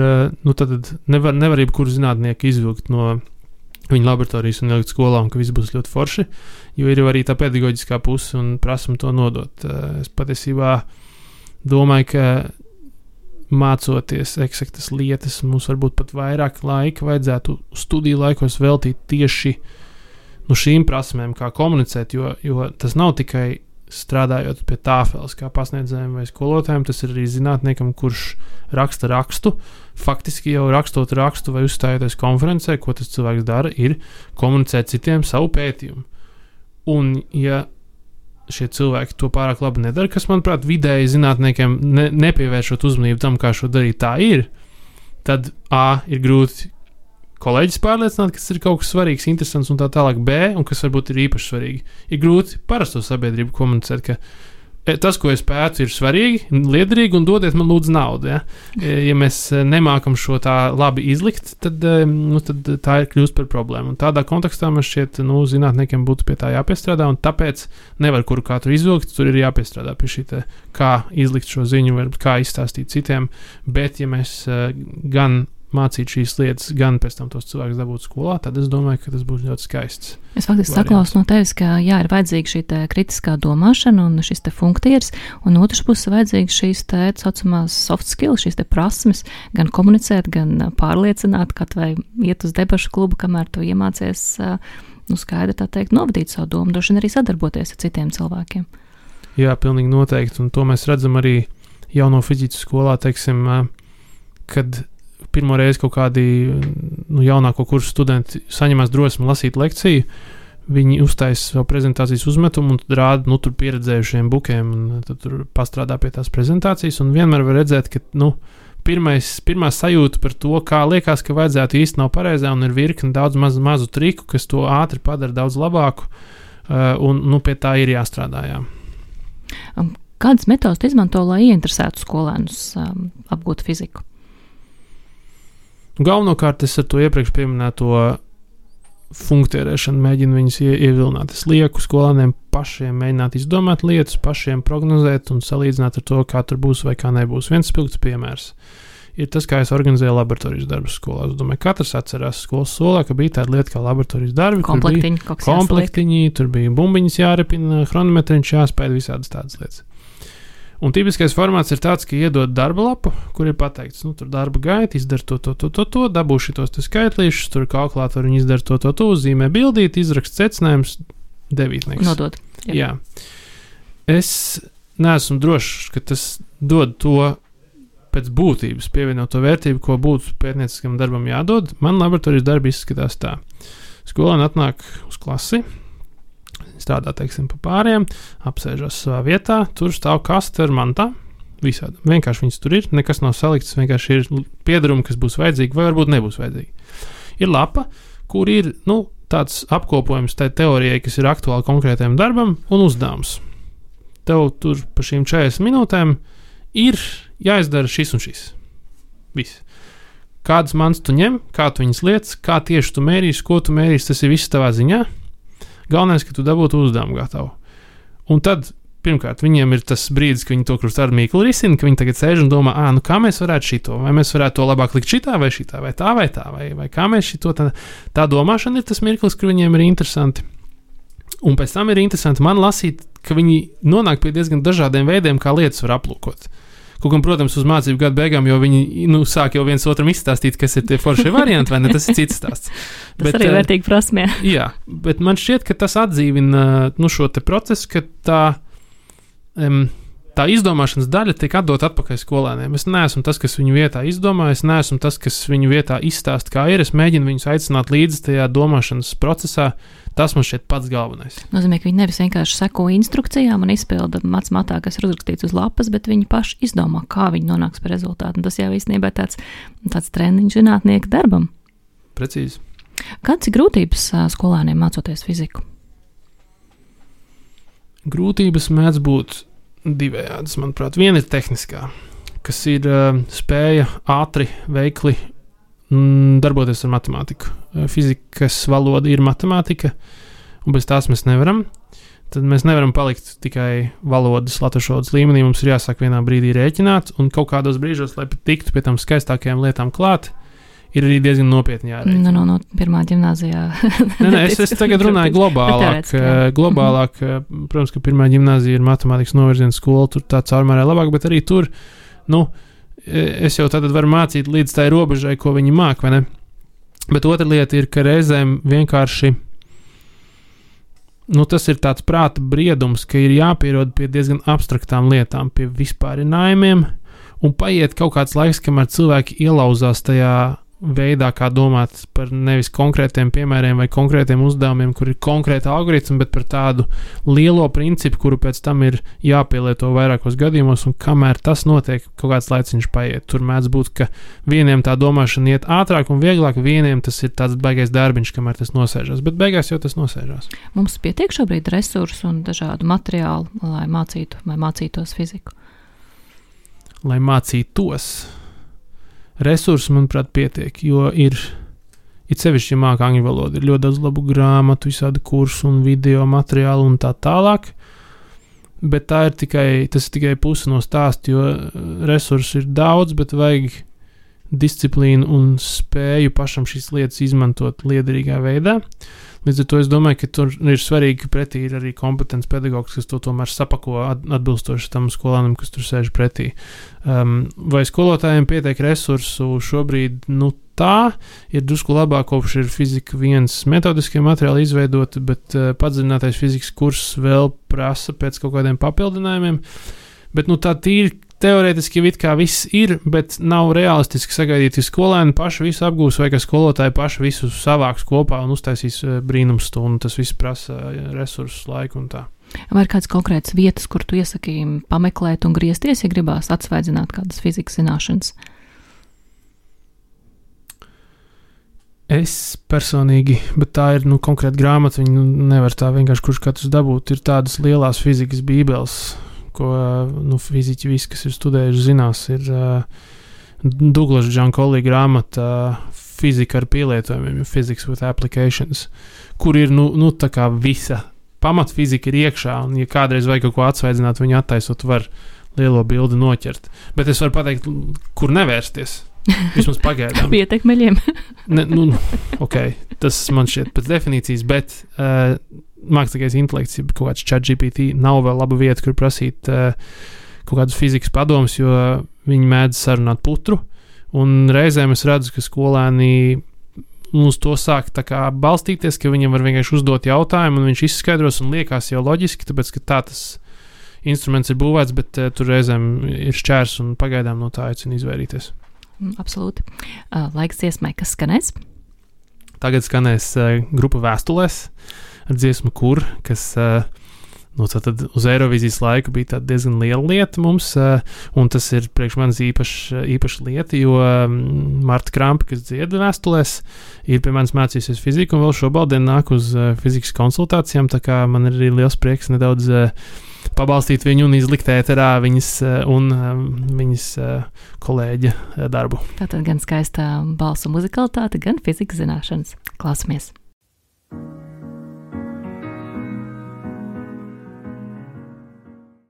tad nevar jebkuru zinātnieku izvilkt no viņa laboratorijas un ielikt skolā, un ka viss būs ļoti forši, jo ir arī tā pedagoģiskā puse un prasam to nodot. Es patiesībā domāju, ka mācoties eksaktas lietas, mums varbūt pat vairāk laika vajadzētu studiju laikos veltīt tieši šīm prasmēm, kā komunicēt, jo tas nav tikai strādājot pie tāfeles, kā pasniedzējiem vai skolotājiem, tas ir arī zinātniekam, kurš raksta rakstu. Faktiski jau rakstot rakstu vai uzstājoties konferencē, ko tas cilvēks dara, ir komunicēt citiem savu pētījumu. Un, ja šie cilvēki to pārāk labi nedara, kas, manuprāt, vidēji zinātniekiem nepievēršot uzmanību tam, kā šo darīt, tā ir, tad ir grūti kolēģis pārliecināt, kas ir kaut kas svarīgs, interesants un tā tālāk. Un kas varbūt ir īpaši svarīgi, ir grūti parasto sabiedrību komunicēt, ka tas, ko es pētu, ir svarīgi, liederīgi un dodiet man lūdzu naudu. Ja, ja mēs nemākam šo tā labi izlikt, tad tā ir kļūst par problēmu. Un tādā kontekstā man šķiet, zinātniekiem būtu pie tā jāpiestrādā, un tāpēc nevar kuru katru izvilkt, tur ir jāpiestrādā pie šī te, kā izlikt šo ziņu, vai kā izstāstīt citiem, bet ja mēs gan mācīt šīs lietas, gan pēc tam tos cilvēkus dabūt skolā, tad es domāju, ka tas būs ļoti skaists. Es faktiski saklausu no tevis, ka ir vajadzīga šī kritiskā domāšana un šis te funktīrs, un otrs puses vajadzīga šīs te saucamās soft skills, šīs te prasmes, gan komunicēt, gan pārliecināt, kad vai iet uz debašu klubu, kamēr tu iemācies skaidri tā teikt, novadīt savu domu, droši vien arī sadarboties ar citiem cilvēkiem. Jā, pilnīgi noteikti, un to mēs redzam arī jauno fizikas skolā, teiksim, kad pirmo reizi kaut kādi jaunāko kursu studenti saņemās drosmi lasīt lekciju, viņi uztaisa savu prezentācijas uzmetumu un rāda, tur pieredzējušiem bukiem un tad tur pastrādā pie tās prezentācijas, un vienmēr var redzēt, ka, pirmā sajūta par to, kā liekas, ka vajadzētu īsti nav pareizā, un ir virkni daudz mazu triku, kas to ātri padara daudz labāku, un pie tā ir jāstrādā, jā. Kādas metodas izmanto, lai ieinteresētu skolēnus apgūt fiziku? Galvenokārt es ar to iepriekš pieminēto funkcionēšanu mēģinu viņus ievilināt. Es lieku skolēniem pašiem mēģināt izdomāt lietas, pašiem prognozēt un salīdzināt ar to, kā tur būs vai kā nebūs. Viens spilgts piemērs ir tas, kā es organizēju laboratorijas darbus skolā. Es domāju, katrs atcerās skolas solā, ka bija tāda lieta kā laboratorijas darbi. Komplektiņi, tur bija bumbiņas jārepina, chronometriņš jāspēj, visādas tādas lietas. Un tipiskais formāts ir tāds, ka iedod darba lapu, kur ir pateikts, tur darba gaita, izdara to, dabū šitos te skaitlīšus, tur kalkulātori viņi izdara to, uzzīmē bildīt, izrakst secinājums, devītnieks. Nodod. Jā. Es neesmu drošs, ka tas dod to pēc būtības pievienoto vērtību, ko būtu pētnieciskam darbam jādod. Man laboratorijas darbi izskatās tā. Skolēni atnāk uz klasi, strādā, teiksim, pa pāriem, apsēžas savā vietā, tur stāv kaste ar mantā, visādi. Vienkārši viņas tur ir, nekas nav salikts, vienkārši ir piedarumi, kas būs vajadzīgi vai varbūt nebūs vajadzīgi. Ir lapa, kur ir, tāds apkopojums tai teorijai, kas ir aktuāli konkrētajam darbam un uzdevums. Tev tur pa šīm 40 minūtēm ir jāizdara šis un šis. Viss. Kādas mans tu ņem, kā tu viņas lietas, kā tieši tu mērīsi, ko tu mērīsi, tas ir viss tavā ziņā. Galvenais, ka tu dabūtu uzdevumu gatavu. Un tad, pirmkārt, viņiem ir tas brīdis, ka viņi to kļūst ar mīklu risinu, ka viņi tagad sēž un domā, kā mēs varētu šito, vai mēs varētu to labāk likt šitā, vai šitā, vai tā, vai kā mēs šito. Tā domāšana ir tas mirklis, kur viņiem ir interesanti. Un pēc tam ir interesanti man lasīt, ka viņi nonāk pie diezgan dažādiem veidiem, kā lietas var aplūkot. Kaut gan, protams, uz mācību gadu beigām, jo viņi sāk jau viens otram izstāstīt, kas ir tie foršie varianti, vai ne, tas ir cits stāsts. Tas arī vērtīgi prasmē. Jā, bet man šķiet, ka tas atdzīvina šo te procesu, ka tā izdomāšanas daļa tiek atdot atpakaļ skolēniem. Es neesmu tas, kas viņu vietā izdomā, es neesmu tas, kas viņu vietā izstāst, kā ir. Es mēģinu viņus aicināt līdzi tajā domāšanas procesā. Tas man šķiet pats galvenais. Nozīmē, ka viņi nevis vienkārši seko instrukcijām un izpilda matā, kas ir uzrakstīts uz lapas, bet viņi paši izdomā, kā viņi nonāks pie rezultātu. Un tas jau īstenībā tāds treniņš zinātnieka darbam. Precīzi. Kādas ir grūtības skolēniem mācoties fiziku? Grūtības mēdz būt divējādas, manuprāt. Viena ir tehniskā, kas ir spēja ātri, veikli darboties ar matemātiku. Fizikas valoda ir matemātika, un bez tās mēs nevaram. Tad mēs nevaram palikt tikai valodas, latviešu valodas līmenī. Mums ir jāsāk vienā brīdī rēķināt, un kaut kādos brīžos, lai tiktu pie tam skaistākajām lietām klāt, ir arī diezgan nopietni jārēķina. No pirmā ģimnāzijā. Es tagad runāju globālāk. Globālāk, protams, ka pirmā ģimnāzija ir matemātikas novirziena skola, tur tā caurmērē labāk, bet arī tur, es jau tad varu mācīt līdz tai robežai, ko viņi māk, vai ne? Bet otra lieta ir, ka reizēm vienkārši, tas ir tāds prāta briedums, ka ir jāpierod pie diezgan abstraktām lietām, pie vispārinājumiem, un paiet kaut kāds laiks, kamēr cilvēki ielauzās tajā veidā, kā domāt par nevis konkrētiem piemēriem vai konkrētiem uzdevumiem, kur ir konkrēta algoritma, bet par tādu lielo principu, kuru pēc tam ir jāpielieto vairākos gadījumos, un kamēr tas notiek, kaut kāds laiciņš paiet. Tur mēdz būt, ka vieniem tā domāšana iet ātrāk un vieglāk, vieniem tas ir tāds baigais darbiņš, kamēr tas nosēžās, bet beigās jau tas nosēžās. Mums pietiek šobrīd resursu un dažādu materiālu, lai mācītu vai mācītos fiziku? Lai mācītos. Resursi, manuprāt, pietiek, jo ir sevišķi, ja māk angļu valodu, ir ļoti daudz labu grāmatu, visādi kursu un video materiālu un tā tālāk, bet tas ir tikai puse no stāsta, jo resursi ir daudz, bet vajag disciplīnu un spēju pašam šīs lietas izmantot liederīgā veidā. Līdz ar to es domāju, ka tur ir svarīgi, ka pretī ir arī kompetents pedagogs, kas to tomēr sapako atbilstoši tam skolānam, kas tur sēž pretī. Vai skolotājiem pietiek resursu šobrīd? tā ir drusku labāk, kopš ir fizika 1 metodiskie materiāli izveidoti, bet padziļinātais fizikas kurs vēl prasa pēc kaut kādiem papildinājumiem. Bet tā tīri teorētiski it kā viss ir, bet nav realistiski sagaidīt, ka skolēni paši visu apgūs vai ka skolotāji paši visu savāks kopā un uztaisīs brīnumstundu. Tas viss prasa resursus, laiku un tā. Vai ir kādas konkrētas vietas, kur tu iesaki pameklēt un griezties, ja gribās atsvaidzināt kādas fizikas zināšanas? Es personīgi, bet tā ir konkrēta grāmata, viņu nevar tā vienkārši kurš katrs dabūt. Ir tādas lielās fizikas bībeles, ko fiziķi visi, kas ir studējuši, zinās, ir Douglas Giancolli grāmata Fizika ar pielietojumiem, Physics with Applications, kur ir tā kā visa pamatfizika ir iekšā, un ja kādreiz vajag kaut ko atsvaidzināt, viņu attaisot var lielo bildi noķert. Bet es varu pateikt, kur nevērsties. Vismaz pagaidām. Pietekmeļiem. Ok, tas man šķiet pēc definīcijas, bet mākslīgais intelekts, kaut kāds ChatGPT nav vēl laba vieta, kur prasīt kaut kādus fizikas padomus, jo viņi mēdz sarunāt putru, un reizēm es redzu, ka skolēni uz to sāk tā kā balstīties, ka viņam var vienkārši uzdot jautājumu, un viņš izskaidros un liekas jau loģiski, tāpēc, ka tā tas instruments ir būvēts, bet tur reizēm ir šķērs, un pagaidām no tā aicinu izvairīties. Absolūti. Laiks dziesmai, kas skanēs? Tagad skanēs grupa Vēstulēs ar dziesmu Kur, kas tad uz Eirovīzijas laiku bija tāda diezgan liela lieta mums, un tas ir priekš manis īpaša lieta, jo Marta Krampa, kas dzied Vēstulēs, ir pie manis mācījusies fiziku, un vēl šobrīd nāk uz fizikas konsultācijām, tā kā man ir arī liels prieks nedaudz pabalstīt viņu un izlikt ēterā viņas kolēģa darbu. Tātad gan skaistā balsu muzikalitāte, gan fizikas zināšanas. Klausamies!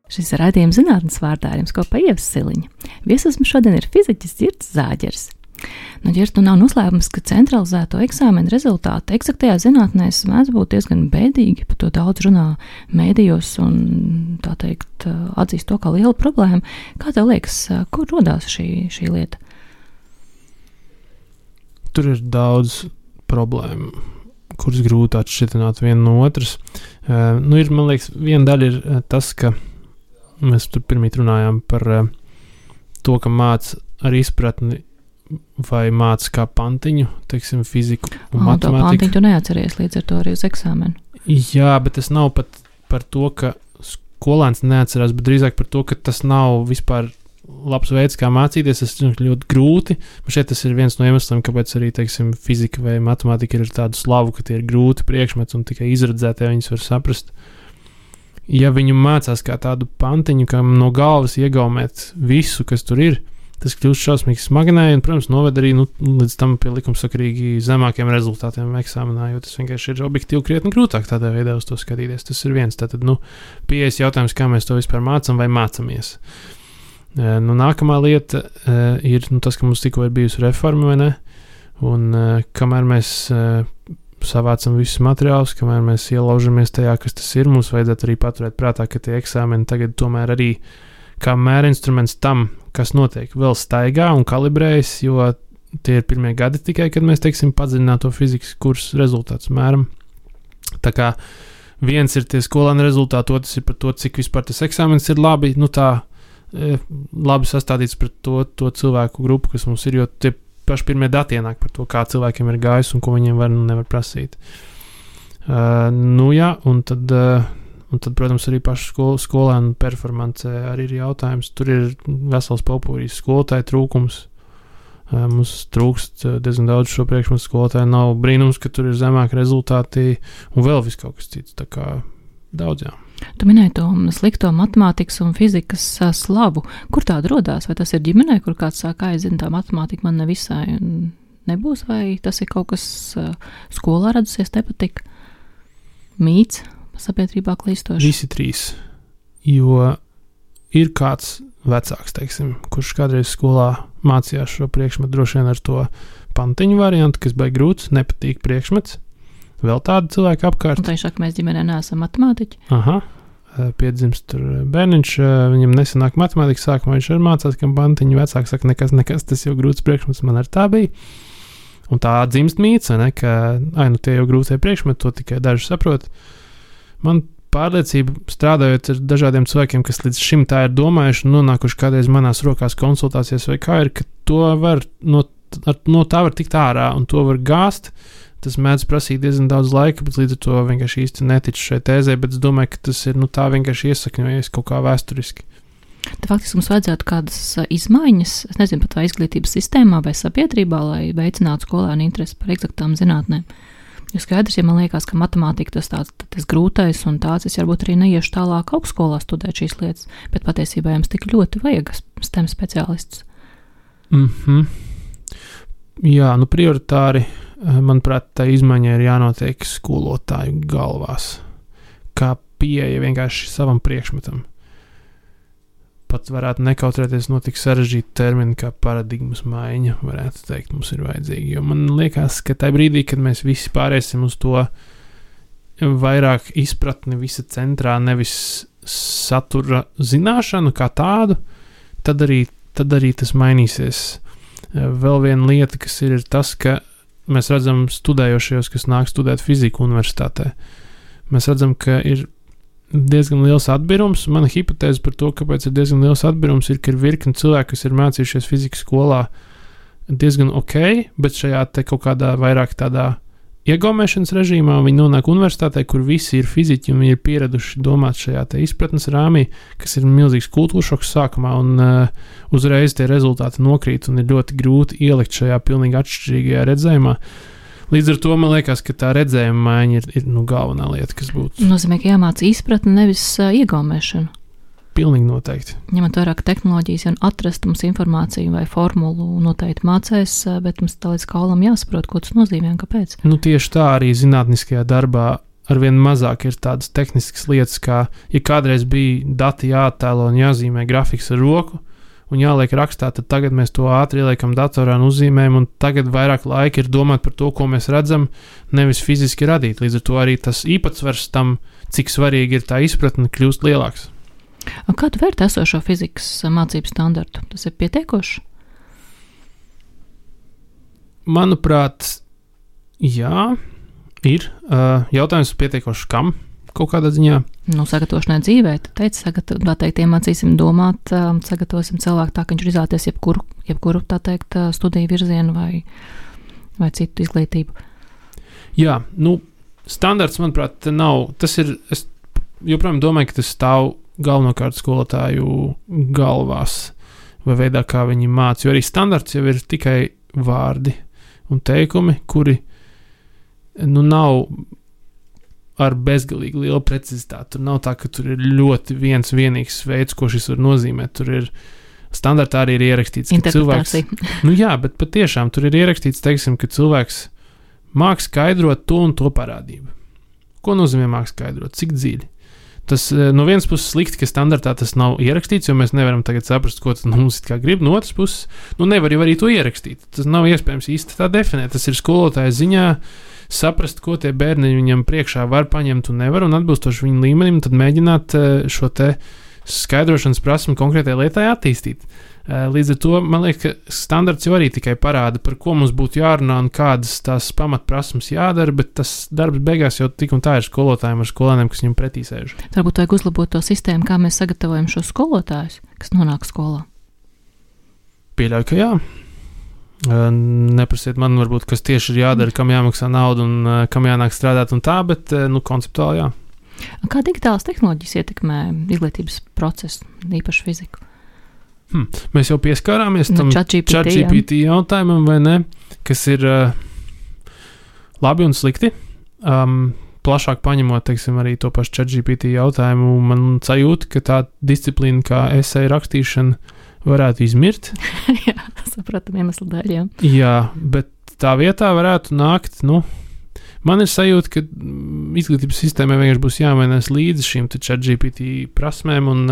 Šis raidījums zinātnes vārdā ar jums kopā Ieva Siliņa. Viesis mums šodien ir fiziķis Girts Zāģers. Girt, nav noslēpums, ka centralizēto eksāmenu rezultāti eksaktajā zinātnēs mēdz būt diezgan bēdīgi, par to daudz runā mēdījos un, tā teikt, atzīst to kā lielu problēmu. Kā tev liekas, kur rodās šī lieta? Tur ir daudz problēmu, kuras grūti atšķitināt vienu no otras. Ir, man liekas, viena daļa ir tas, ka mēs tur pirmīt runājām par to, ka māc ar izpratni vai māc kā pantiņu, teiksim, fiziku un matemātiku. To pantiņu tu neatceries līdz ar to arī uz eksāmenu. Jā, bet tas nav pat par to, ka skolēns neatcerās, bet drīzāk par to, ka tas nav vispār labs veids, kā mācīties. Tas ir ļoti grūti. Šeit tas ir viens no iemesliem, kāpēc arī, teiksim, fizika vai matemātika ir tādu slavu, ka tie ir grūti priekšmeti un tikai izredzētie viņus var saprast. Ja viņu mācās kā tādu pantiņu, kam no galvas iegaumēt visu, kas tur ir, tas kļūst šausmīgi smagnēji un, protams, noved arī līdz tam pie likumsakarīgi zemākiem rezultātiem eksāmenā, jo tas vienkārši ir objektīvi krietni grūtāk tādā veidā uz to skatīties. Tas ir viens. Tātad, pieejas jautājums, kā mēs to vispār mācam vai mācamies. Nākamā lieta ir tas, ka mums tikko ir bijusi reforma, vai ne? Un kamēr mēs savācam visus materiālus, kamēr mēs ielaužamies tajā, kas tas ir, mums vajadzētu arī paturēt prātā, ka tie eksāmeni tagad tomēr arī kā mērinstruments tam, kas notiek, vēl staigā un kalibrējas, jo tie ir pirmie gadi tikai, kad mēs, teiksim, padziļināto fizikas kursu rezultātus mēram. Tā kā viens ir tie skolēnu rezultāti, otrs ir par to, cik vispār tas eksāmens ir labi, labi sastādīts pret to cilvēku grupu, kas mums ir, jo tie paši pirmie dati ienāk par to, kā cilvēkiem ir gājis un ko viņiem var un nevar prasīt. Un tad, protams, arī pašu skolēnu performance arī ir jautājums. Tur ir vesels popūrijas skolotāju trūkums. Mums trūkst diezgan daudz šo priekšmetu skolotāju. Nav brīnums, ka tur ir zemāki rezultāti un vēl viss kaut kas cits. Tā kā daudz, jā. Tu minēji to slikto matemātikas un fizikas slavu. Kur tāda rodās? Vai tas ir ģimenē, kur kāds sāk aizina, tā matemātika man nevisai nebūs, vai tas ir kaut kas skolā radusies nepatika? Mīts sabiedrībā klīstoši? Visi trīs. Jo ir kāds vecāks, teiksim, kurš kādreiz skolā mācījās šo priekšmetu, droši vien ar to pantiņu variantu, kas baigi grūts, nepatīk priekšmets. Vēl tādu cilvēku apkārt. Un tā ir šāk, mēs ģimenē neesam matemātiķi. Piedzimst tur bērniņš, viņam nesanāk matemātika sākumā, viņš arī mācās, kam pantiņu vecāki saka, nekas, tas jau grūts priekšmets, man ar tā bija. Un tā dzimst mīts, ne, ka tie jau grūtie priekšmeti, to tikai daži saprot. Man pārliecība strādājot ar dažādiem cilvēkiem, kas līdz šim tā ir domājuši un nonākuši kādreiz manās rokās konsultācijas vai kā ir, ka to var no tā var tikt ārā un to var gāzt. Tas mēdz prasīt diezgan daudz laika, bet līdz ar to vienkārši īsti neticu šai tēzē, bet es domāju, ka tas ir tā vienkārši iesakņojies kaut kā vēsturiski. Tad faktiski mums vajadzētu kādas izmaiņas, es nezinu, pat vai izglītības sistēmā vai sabiedrībā, lai veicinātu skolēnu interesi par eksaktām zinātnēm. Jo skaidrs, ja man liekas, ka matemātika tas grūtais un tāds, es varbūt arī neiešu tālāk augstskolā studēt šīs lietas, bet patiesībā jums tik ļoti vajag STEM speciālistus. Jā, prioritāri, manuprāt, tā izmaiņa ir jānotiek skolotāju galvās, kā pieeja vienkārši savam priekšmetam. Pat varētu nekautrēties no tik sarežģīta termina kā paradigmas maiņa, varētu teikt, mums ir vajadzīgi. Jo man liekas, ka tajā brīdī, kad mēs visi pārēsim uz to vairāk izpratni visa centrā, nevis satura zināšanu kā tādu, tad arī tas mainīsies. Vēl viena lieta, kas ir tas, ka mēs redzam studējošajos, kas nāk studēt fiziku universitātē. Mēs redzam, ka ir diezgan liels atbirums. Mana hipotēze par to, kāpēc ir diezgan liels atbirums, ir, ka ir virkni cilvēki, kas ir mācījušies fizikas skolā diezgan ok, bet šajā te kaut kādā vairāk tādā iegaumēšanas režīmā viņi nonāk universitātē, kur visi ir fiziķi un viņi ir pieraduši domāt šajā te izpratnes rāmī, kas ir milzīgs kultūršoks sākumā un uzreiz tie rezultāti nokrīt un ir ļoti grūti ielikt šajā pilnīgi atšķirīgajā redzējumā. Līdz ar to man liekas, ka tā redzējuma maiņa ir galvenā lieta, kas būtu. Nozīmē, ka jāmāca izpratni, nevis iegaumēšanu. Pilnīgi noteikti. Ņemot vairāk tehnoloģijas, ja atrast mums informāciju vai formulu noteikti mācēs, bet mums tā līdz kaulam jāsaprot, ko tas nozīmē un kāpēc. Tieši tā arī zinātniskajā darbā arvien mazāk ir tādas tehniskas lietas, kā, ja kādreiz bija dati jāattēlo un jāzīmē grafiks ar roku, un jāliek rakstā, tad tagad mēs to ātri ieliekam datorā un uzzīmējam, un tagad vairāk laika ir domāt par to, ko mēs redzam, nevis fiziski radīt. Līdz ar to arī tas īpatsvars tam, cik svarīgi ir tā izpratne, kļūst lielāks. Kā tu vērtē esošo fizikas mācību standartu? Tas ir pietiekoši? Manuprāt, jā, ir. Jautājums pietiekoši kam? Kaut kādā ziņā. Sagatavošanai dzīvē, tu teici, iemācīsim domāt, sagatavosim cilvēku tā, ka viņš ir izvēlēties jebkuru, tā teikt, studiju virzienu vai citu izglītību. Jā, standarts, manuprāt, nav, tas ir, es joprojām domāju, ka tas stāv galvenokārt skolotāju galvās vai veidā, kā viņi māca, jo arī standarts jau ir tikai vārdi un teikumi, kuri, nav ar bezgalīgi lielu precizitāti. Tur nav tā, ka tur ir ļoti vienīgs veids, ko šis var nozīmēt. Tur ir standartā arī ir ierakstīts, ka cilvēks... Jā, bet patiešām tur ir ierakstīts, teiksim, ka cilvēks māk skaidrot to un to parādību. Ko nozīmē māk skaidrot? Cik dziļi? Tas no vienas puses slikti, ka standartā tas nav ierakstīts, jo mēs nevaram tagad saprast, ko tas mums it kā grib. No otras puses, nevar jau arī to ierakstīt. Tas nav iespējams īsti tā definēt. Tas ir skolotāja ziņā saprast, ko tie bērni viņam priekšā var paņemt un nevar, un atbilstoši viņu līmenim, tad mēģināt šo te skaidrošanas prasmi konkrētai lietai attīstīt. Līdz ar to, man liekas, ka standarts jau arī tikai parāda, par ko mums būtu jārunā un kādas tās pamatprasmes jādara, bet tas darbs beigās jau tik un tā ir skolotājiem ar skolēniem, kas viņam pretī sēž. Varbūt vajag uzlabot to sistēmu, kā mēs sagatavojam šos skolotājus, kas nonāk skolā. Pieļauju, ka jā. Neprasiet man, varbūt, kas tieši ir jādara, kam jāmaksā nauda un kam jānāk strādāt un tā, bet, konceptuāli jā. Kā digitālas tehnoloģijas ietekmē izglītības procesu, īpaši fiziku? Mēs jau pieskārāmies tam ChatGPT jautājumam, vai ne, kas ir labi un slikti. Plašāk paņemot, teiksim, arī to pašu ChatGPT jautājumu, man sajūta, ka tā disciplīna kā esseja rakstīšana varētu izmirt. Jā, sapratam iemeslu dēļ, jā. Jā, bet tā vietā varētu nākt, man ir sajūta, ka izglītības sistēmai vienkārši būs jāmainās līdzi šīm ChatGPT prasmēm, un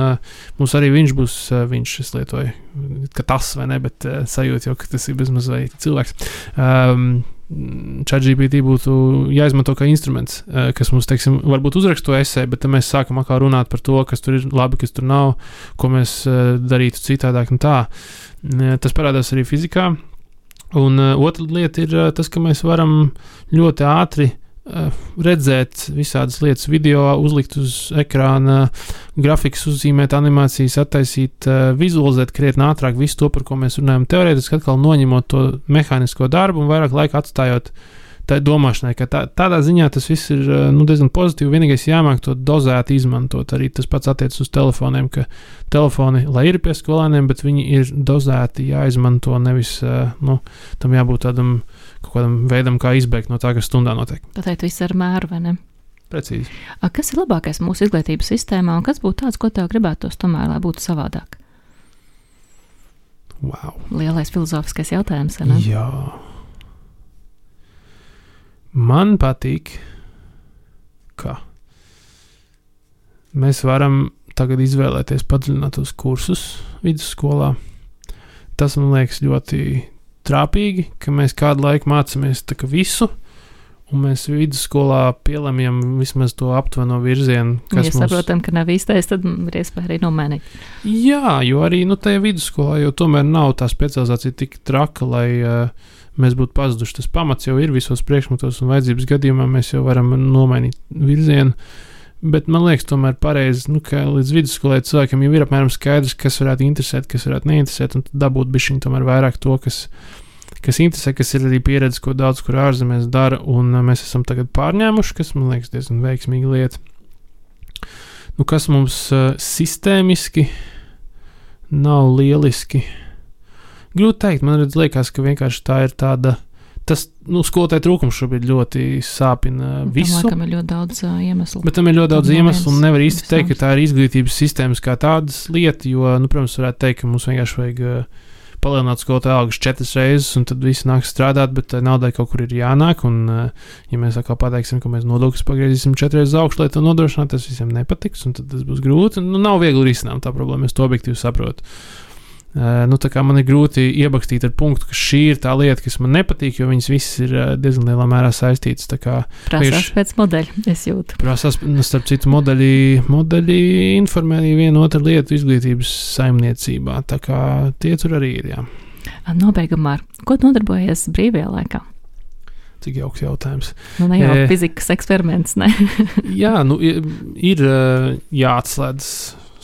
mums arī viņš būs, es lietoju, ka tas vai ne, bet sajūta jau, ka tas ir bezmaz vai cilvēks. ChatGPT būtu jāizmanto kā instruments, kas mums, teiksim, varbūt uzraksto esseju, bet tad mēs sākam atkal runāt par to, kas tur ir labi, kas tur nav, ko mēs darītu citādāk un tā. Tas parādās arī fizikā, Un otra lieta ir tas, ka mēs varam ļoti ātri redzēt visādas lietas video, uzlikt uz ekrāna, grafikas uzzīmēt, animācijas attaisīt, vizualizēt krietni ātrāk visu to, par ko mēs runājam. Teorētiski atkal noņemot to mehānisko darbu un vairāk laika atstājot tā domāšanai, ka tādā ziņā tas viss ir diezgan pozitīvi. Vienīgais jāmāk to dozēti izmantot. Arī tas pats attiecas uz telefoniem, ka telefoni, lai ir pie skolēniem, bet viņi ir dozēti jāizmanto, nevis tam jābūt tādam kaut kādam veidam, kā izbēgt no tā, kas stundā notiek. Pateikt visu ar mēru, vai ne? Precīzi. Kas ir labākais mūsu izglītības sistēmā un kas būtu tāds, ko tev gribētos tomēr, lai būtu savādāk? Wow. Lielais filozofiskais jautājums, vai ne? Jā. Man patīk, ka mēs varam tagad izvēlēties padziļinātos kursus vidusskolā. Tas man liekas ļoti trāpīgi, ka mēs kādu laiku mācāmies tā kā visu, un mēs vidusskolā pielemjam vismaz to aptuveno virzienu, kas mums... saprotam, ka nav īstais, tad ir iespēja arī nomainīt. Jā, jo arī tajā vidusskolā jau tomēr nav tā specializācija tik traka, lai mēs būtu pazuduši. Tas pamats jau ir visos priekšmetos, un vajadzības gadījumā mēs jau varam nomainīt virzienu. Bet man liekas, tomēr pareizi, ka līdz vidusskolai cilvēkam jau ir apmēram skaidrs, kas varētu interesēt, kas varētu neinteresēt, un tad dabūt bišķiņ tomēr vairāk to, kas interesē, kas ir arī pieredze, ko daudz kur ārzemēs dara, un mēs esam tagad pārņēmuši, kas man liekas diezgan veiksmīga lieta. Kas mums sistēmiski nav lieliski. Grūti teikt, man liekas, ka vienkārši tā ir tāda, tas, skolotāju trūkums šobrīd ļoti sāpina visu. Tam ir ļoti daudz iemeslu. Bet tam ir ļoti daudz iemeslu, un nevar īsti teikt, ka tā ir izglītības sistēmas kā tādas lieta, jo, protams, varētu teikt, ka mums vienkārši vajag palielināt skolotāju algas 4 reizes, un tad visi nāk strādāt, bet naudai kaut kur ir jānāk, un ja mēs atkal pateiksim, ka mēs nodokļus pagriezīsim 4 reizes augšu, lai to nodrošinātu, tas visiem nepatiks, un tad tas būs grūti, un nav viegli risināt tā problēma, es to objektīvi saprotu. Tā kā man ir grūti iebakstīt ar punktu, ka šī ir tā lieta, kas man nepatīk, jo viņas visas ir diezgan lielā mērā saistītas. Prasās pēc modeļa, es jūtu. Prasās, starp citu, modeļi informē vienu otru lietu izglītības saimniecībā, tā kā tie tur arī ir, jā. Nobeigumā, ko nodarbojies brīvajā laikā? Cik jauks jautājums. Ne jau fizikas eksperiments, ne? Jā, ir jāatslēdz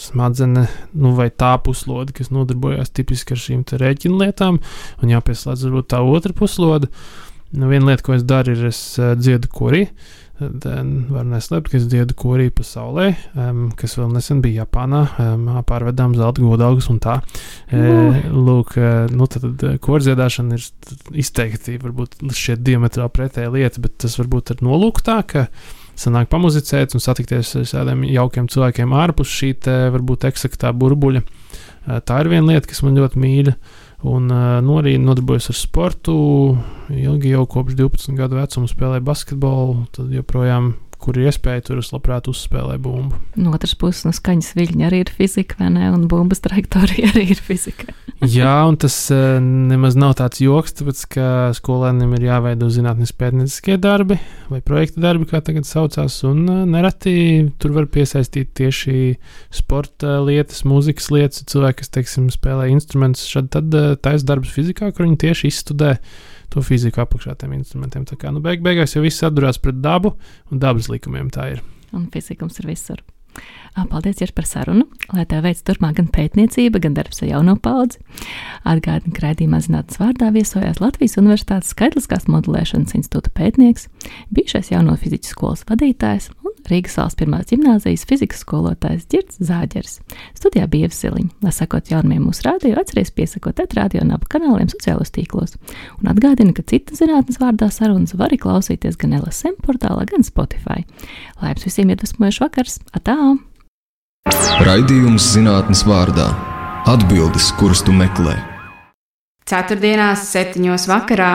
smadzenes, vai tā puslode, kas nodarbojās tipiski ar šīm rēķinu lietām, un jāpieslēdz varbūt tā otra puslode. Viena lieta, ko es daru, ir es dziedu korī. Var neslēpt, ka es dziedu korī pa saulē, kas vēl nesen bija Japānā, pārvedām zelta godalgas un tā. Lūk, tad kordziedāšana ir izteikti, varbūt šķiet diametrāli pretēja lieta, bet tas varbūt ir nolūk tā, ka sanāk pamuzicēt un satikties ar tādiem jaukiem cilvēkiem ārpus šī varbūt eksaktā burbuļa. Tā ir viena lieta, kas man ļoti mīļa. Un arī nodarbojos ar sportu. Ilgi jau kopš 12 gadu vecuma spēlēju basketbolu. Tad joprojām, kur ir iespēja, tur es labprāt uzspēlēju bumbu. No otras puses, skaņas viļņi arī ir fizika, vai ne? Un bumbas trajektorija arī ir fizika. Jā, un tas nemaz nav tāds joks, tāpēc, ka skolēniem ir jāveido zinātniski pētnieciskie darbi vai projekta darbi, kā tagad saucās, un nereti tur var piesaistīt tieši sporta lietas, mūzikas lietas, cilvēki, kas, teiksim, spēlē instrumentus, tad taisa darbs fizikā, kur viņi tieši izstudē to fiziku apakšā tiem instrumentiem. Tā kā, beigās jau viss atdurās pret dabu, un dabas likumiem tā ir. Un fizikums ir visur. Paldies, Jers, par sarunu, lai tev veic turpmāk gan pētniecība, gan darbs ar jauno paudzi. Atgādinu, ka raidījumā Zinātnes vārdā viesojās Latvijas Universitātes Skaitliskās modelēšanas institūta pētnieks, bijušais jauno fizikas skolas vadītājs un Rīgas valsts pirmās ģimnāzijas fizikas skolotājs Ģirds Zāģers. Studijā bija Ieva Siliņa. Lai sakot jaunumiem mūsu rādio, atceries piesakot radio un abu kanāliem sociālos tīklos. Un atgādinu, ka citas Zinātnes vārdā sarunas var arī klausīties gan LSM portālā, gan Spotify. Lai jums visiem iedvesmojošs vakars! Atā! Raidījums Zinātnes vārdā. Atbildes, kuras tu meklē. Ceturtdienās 7:00 vakarā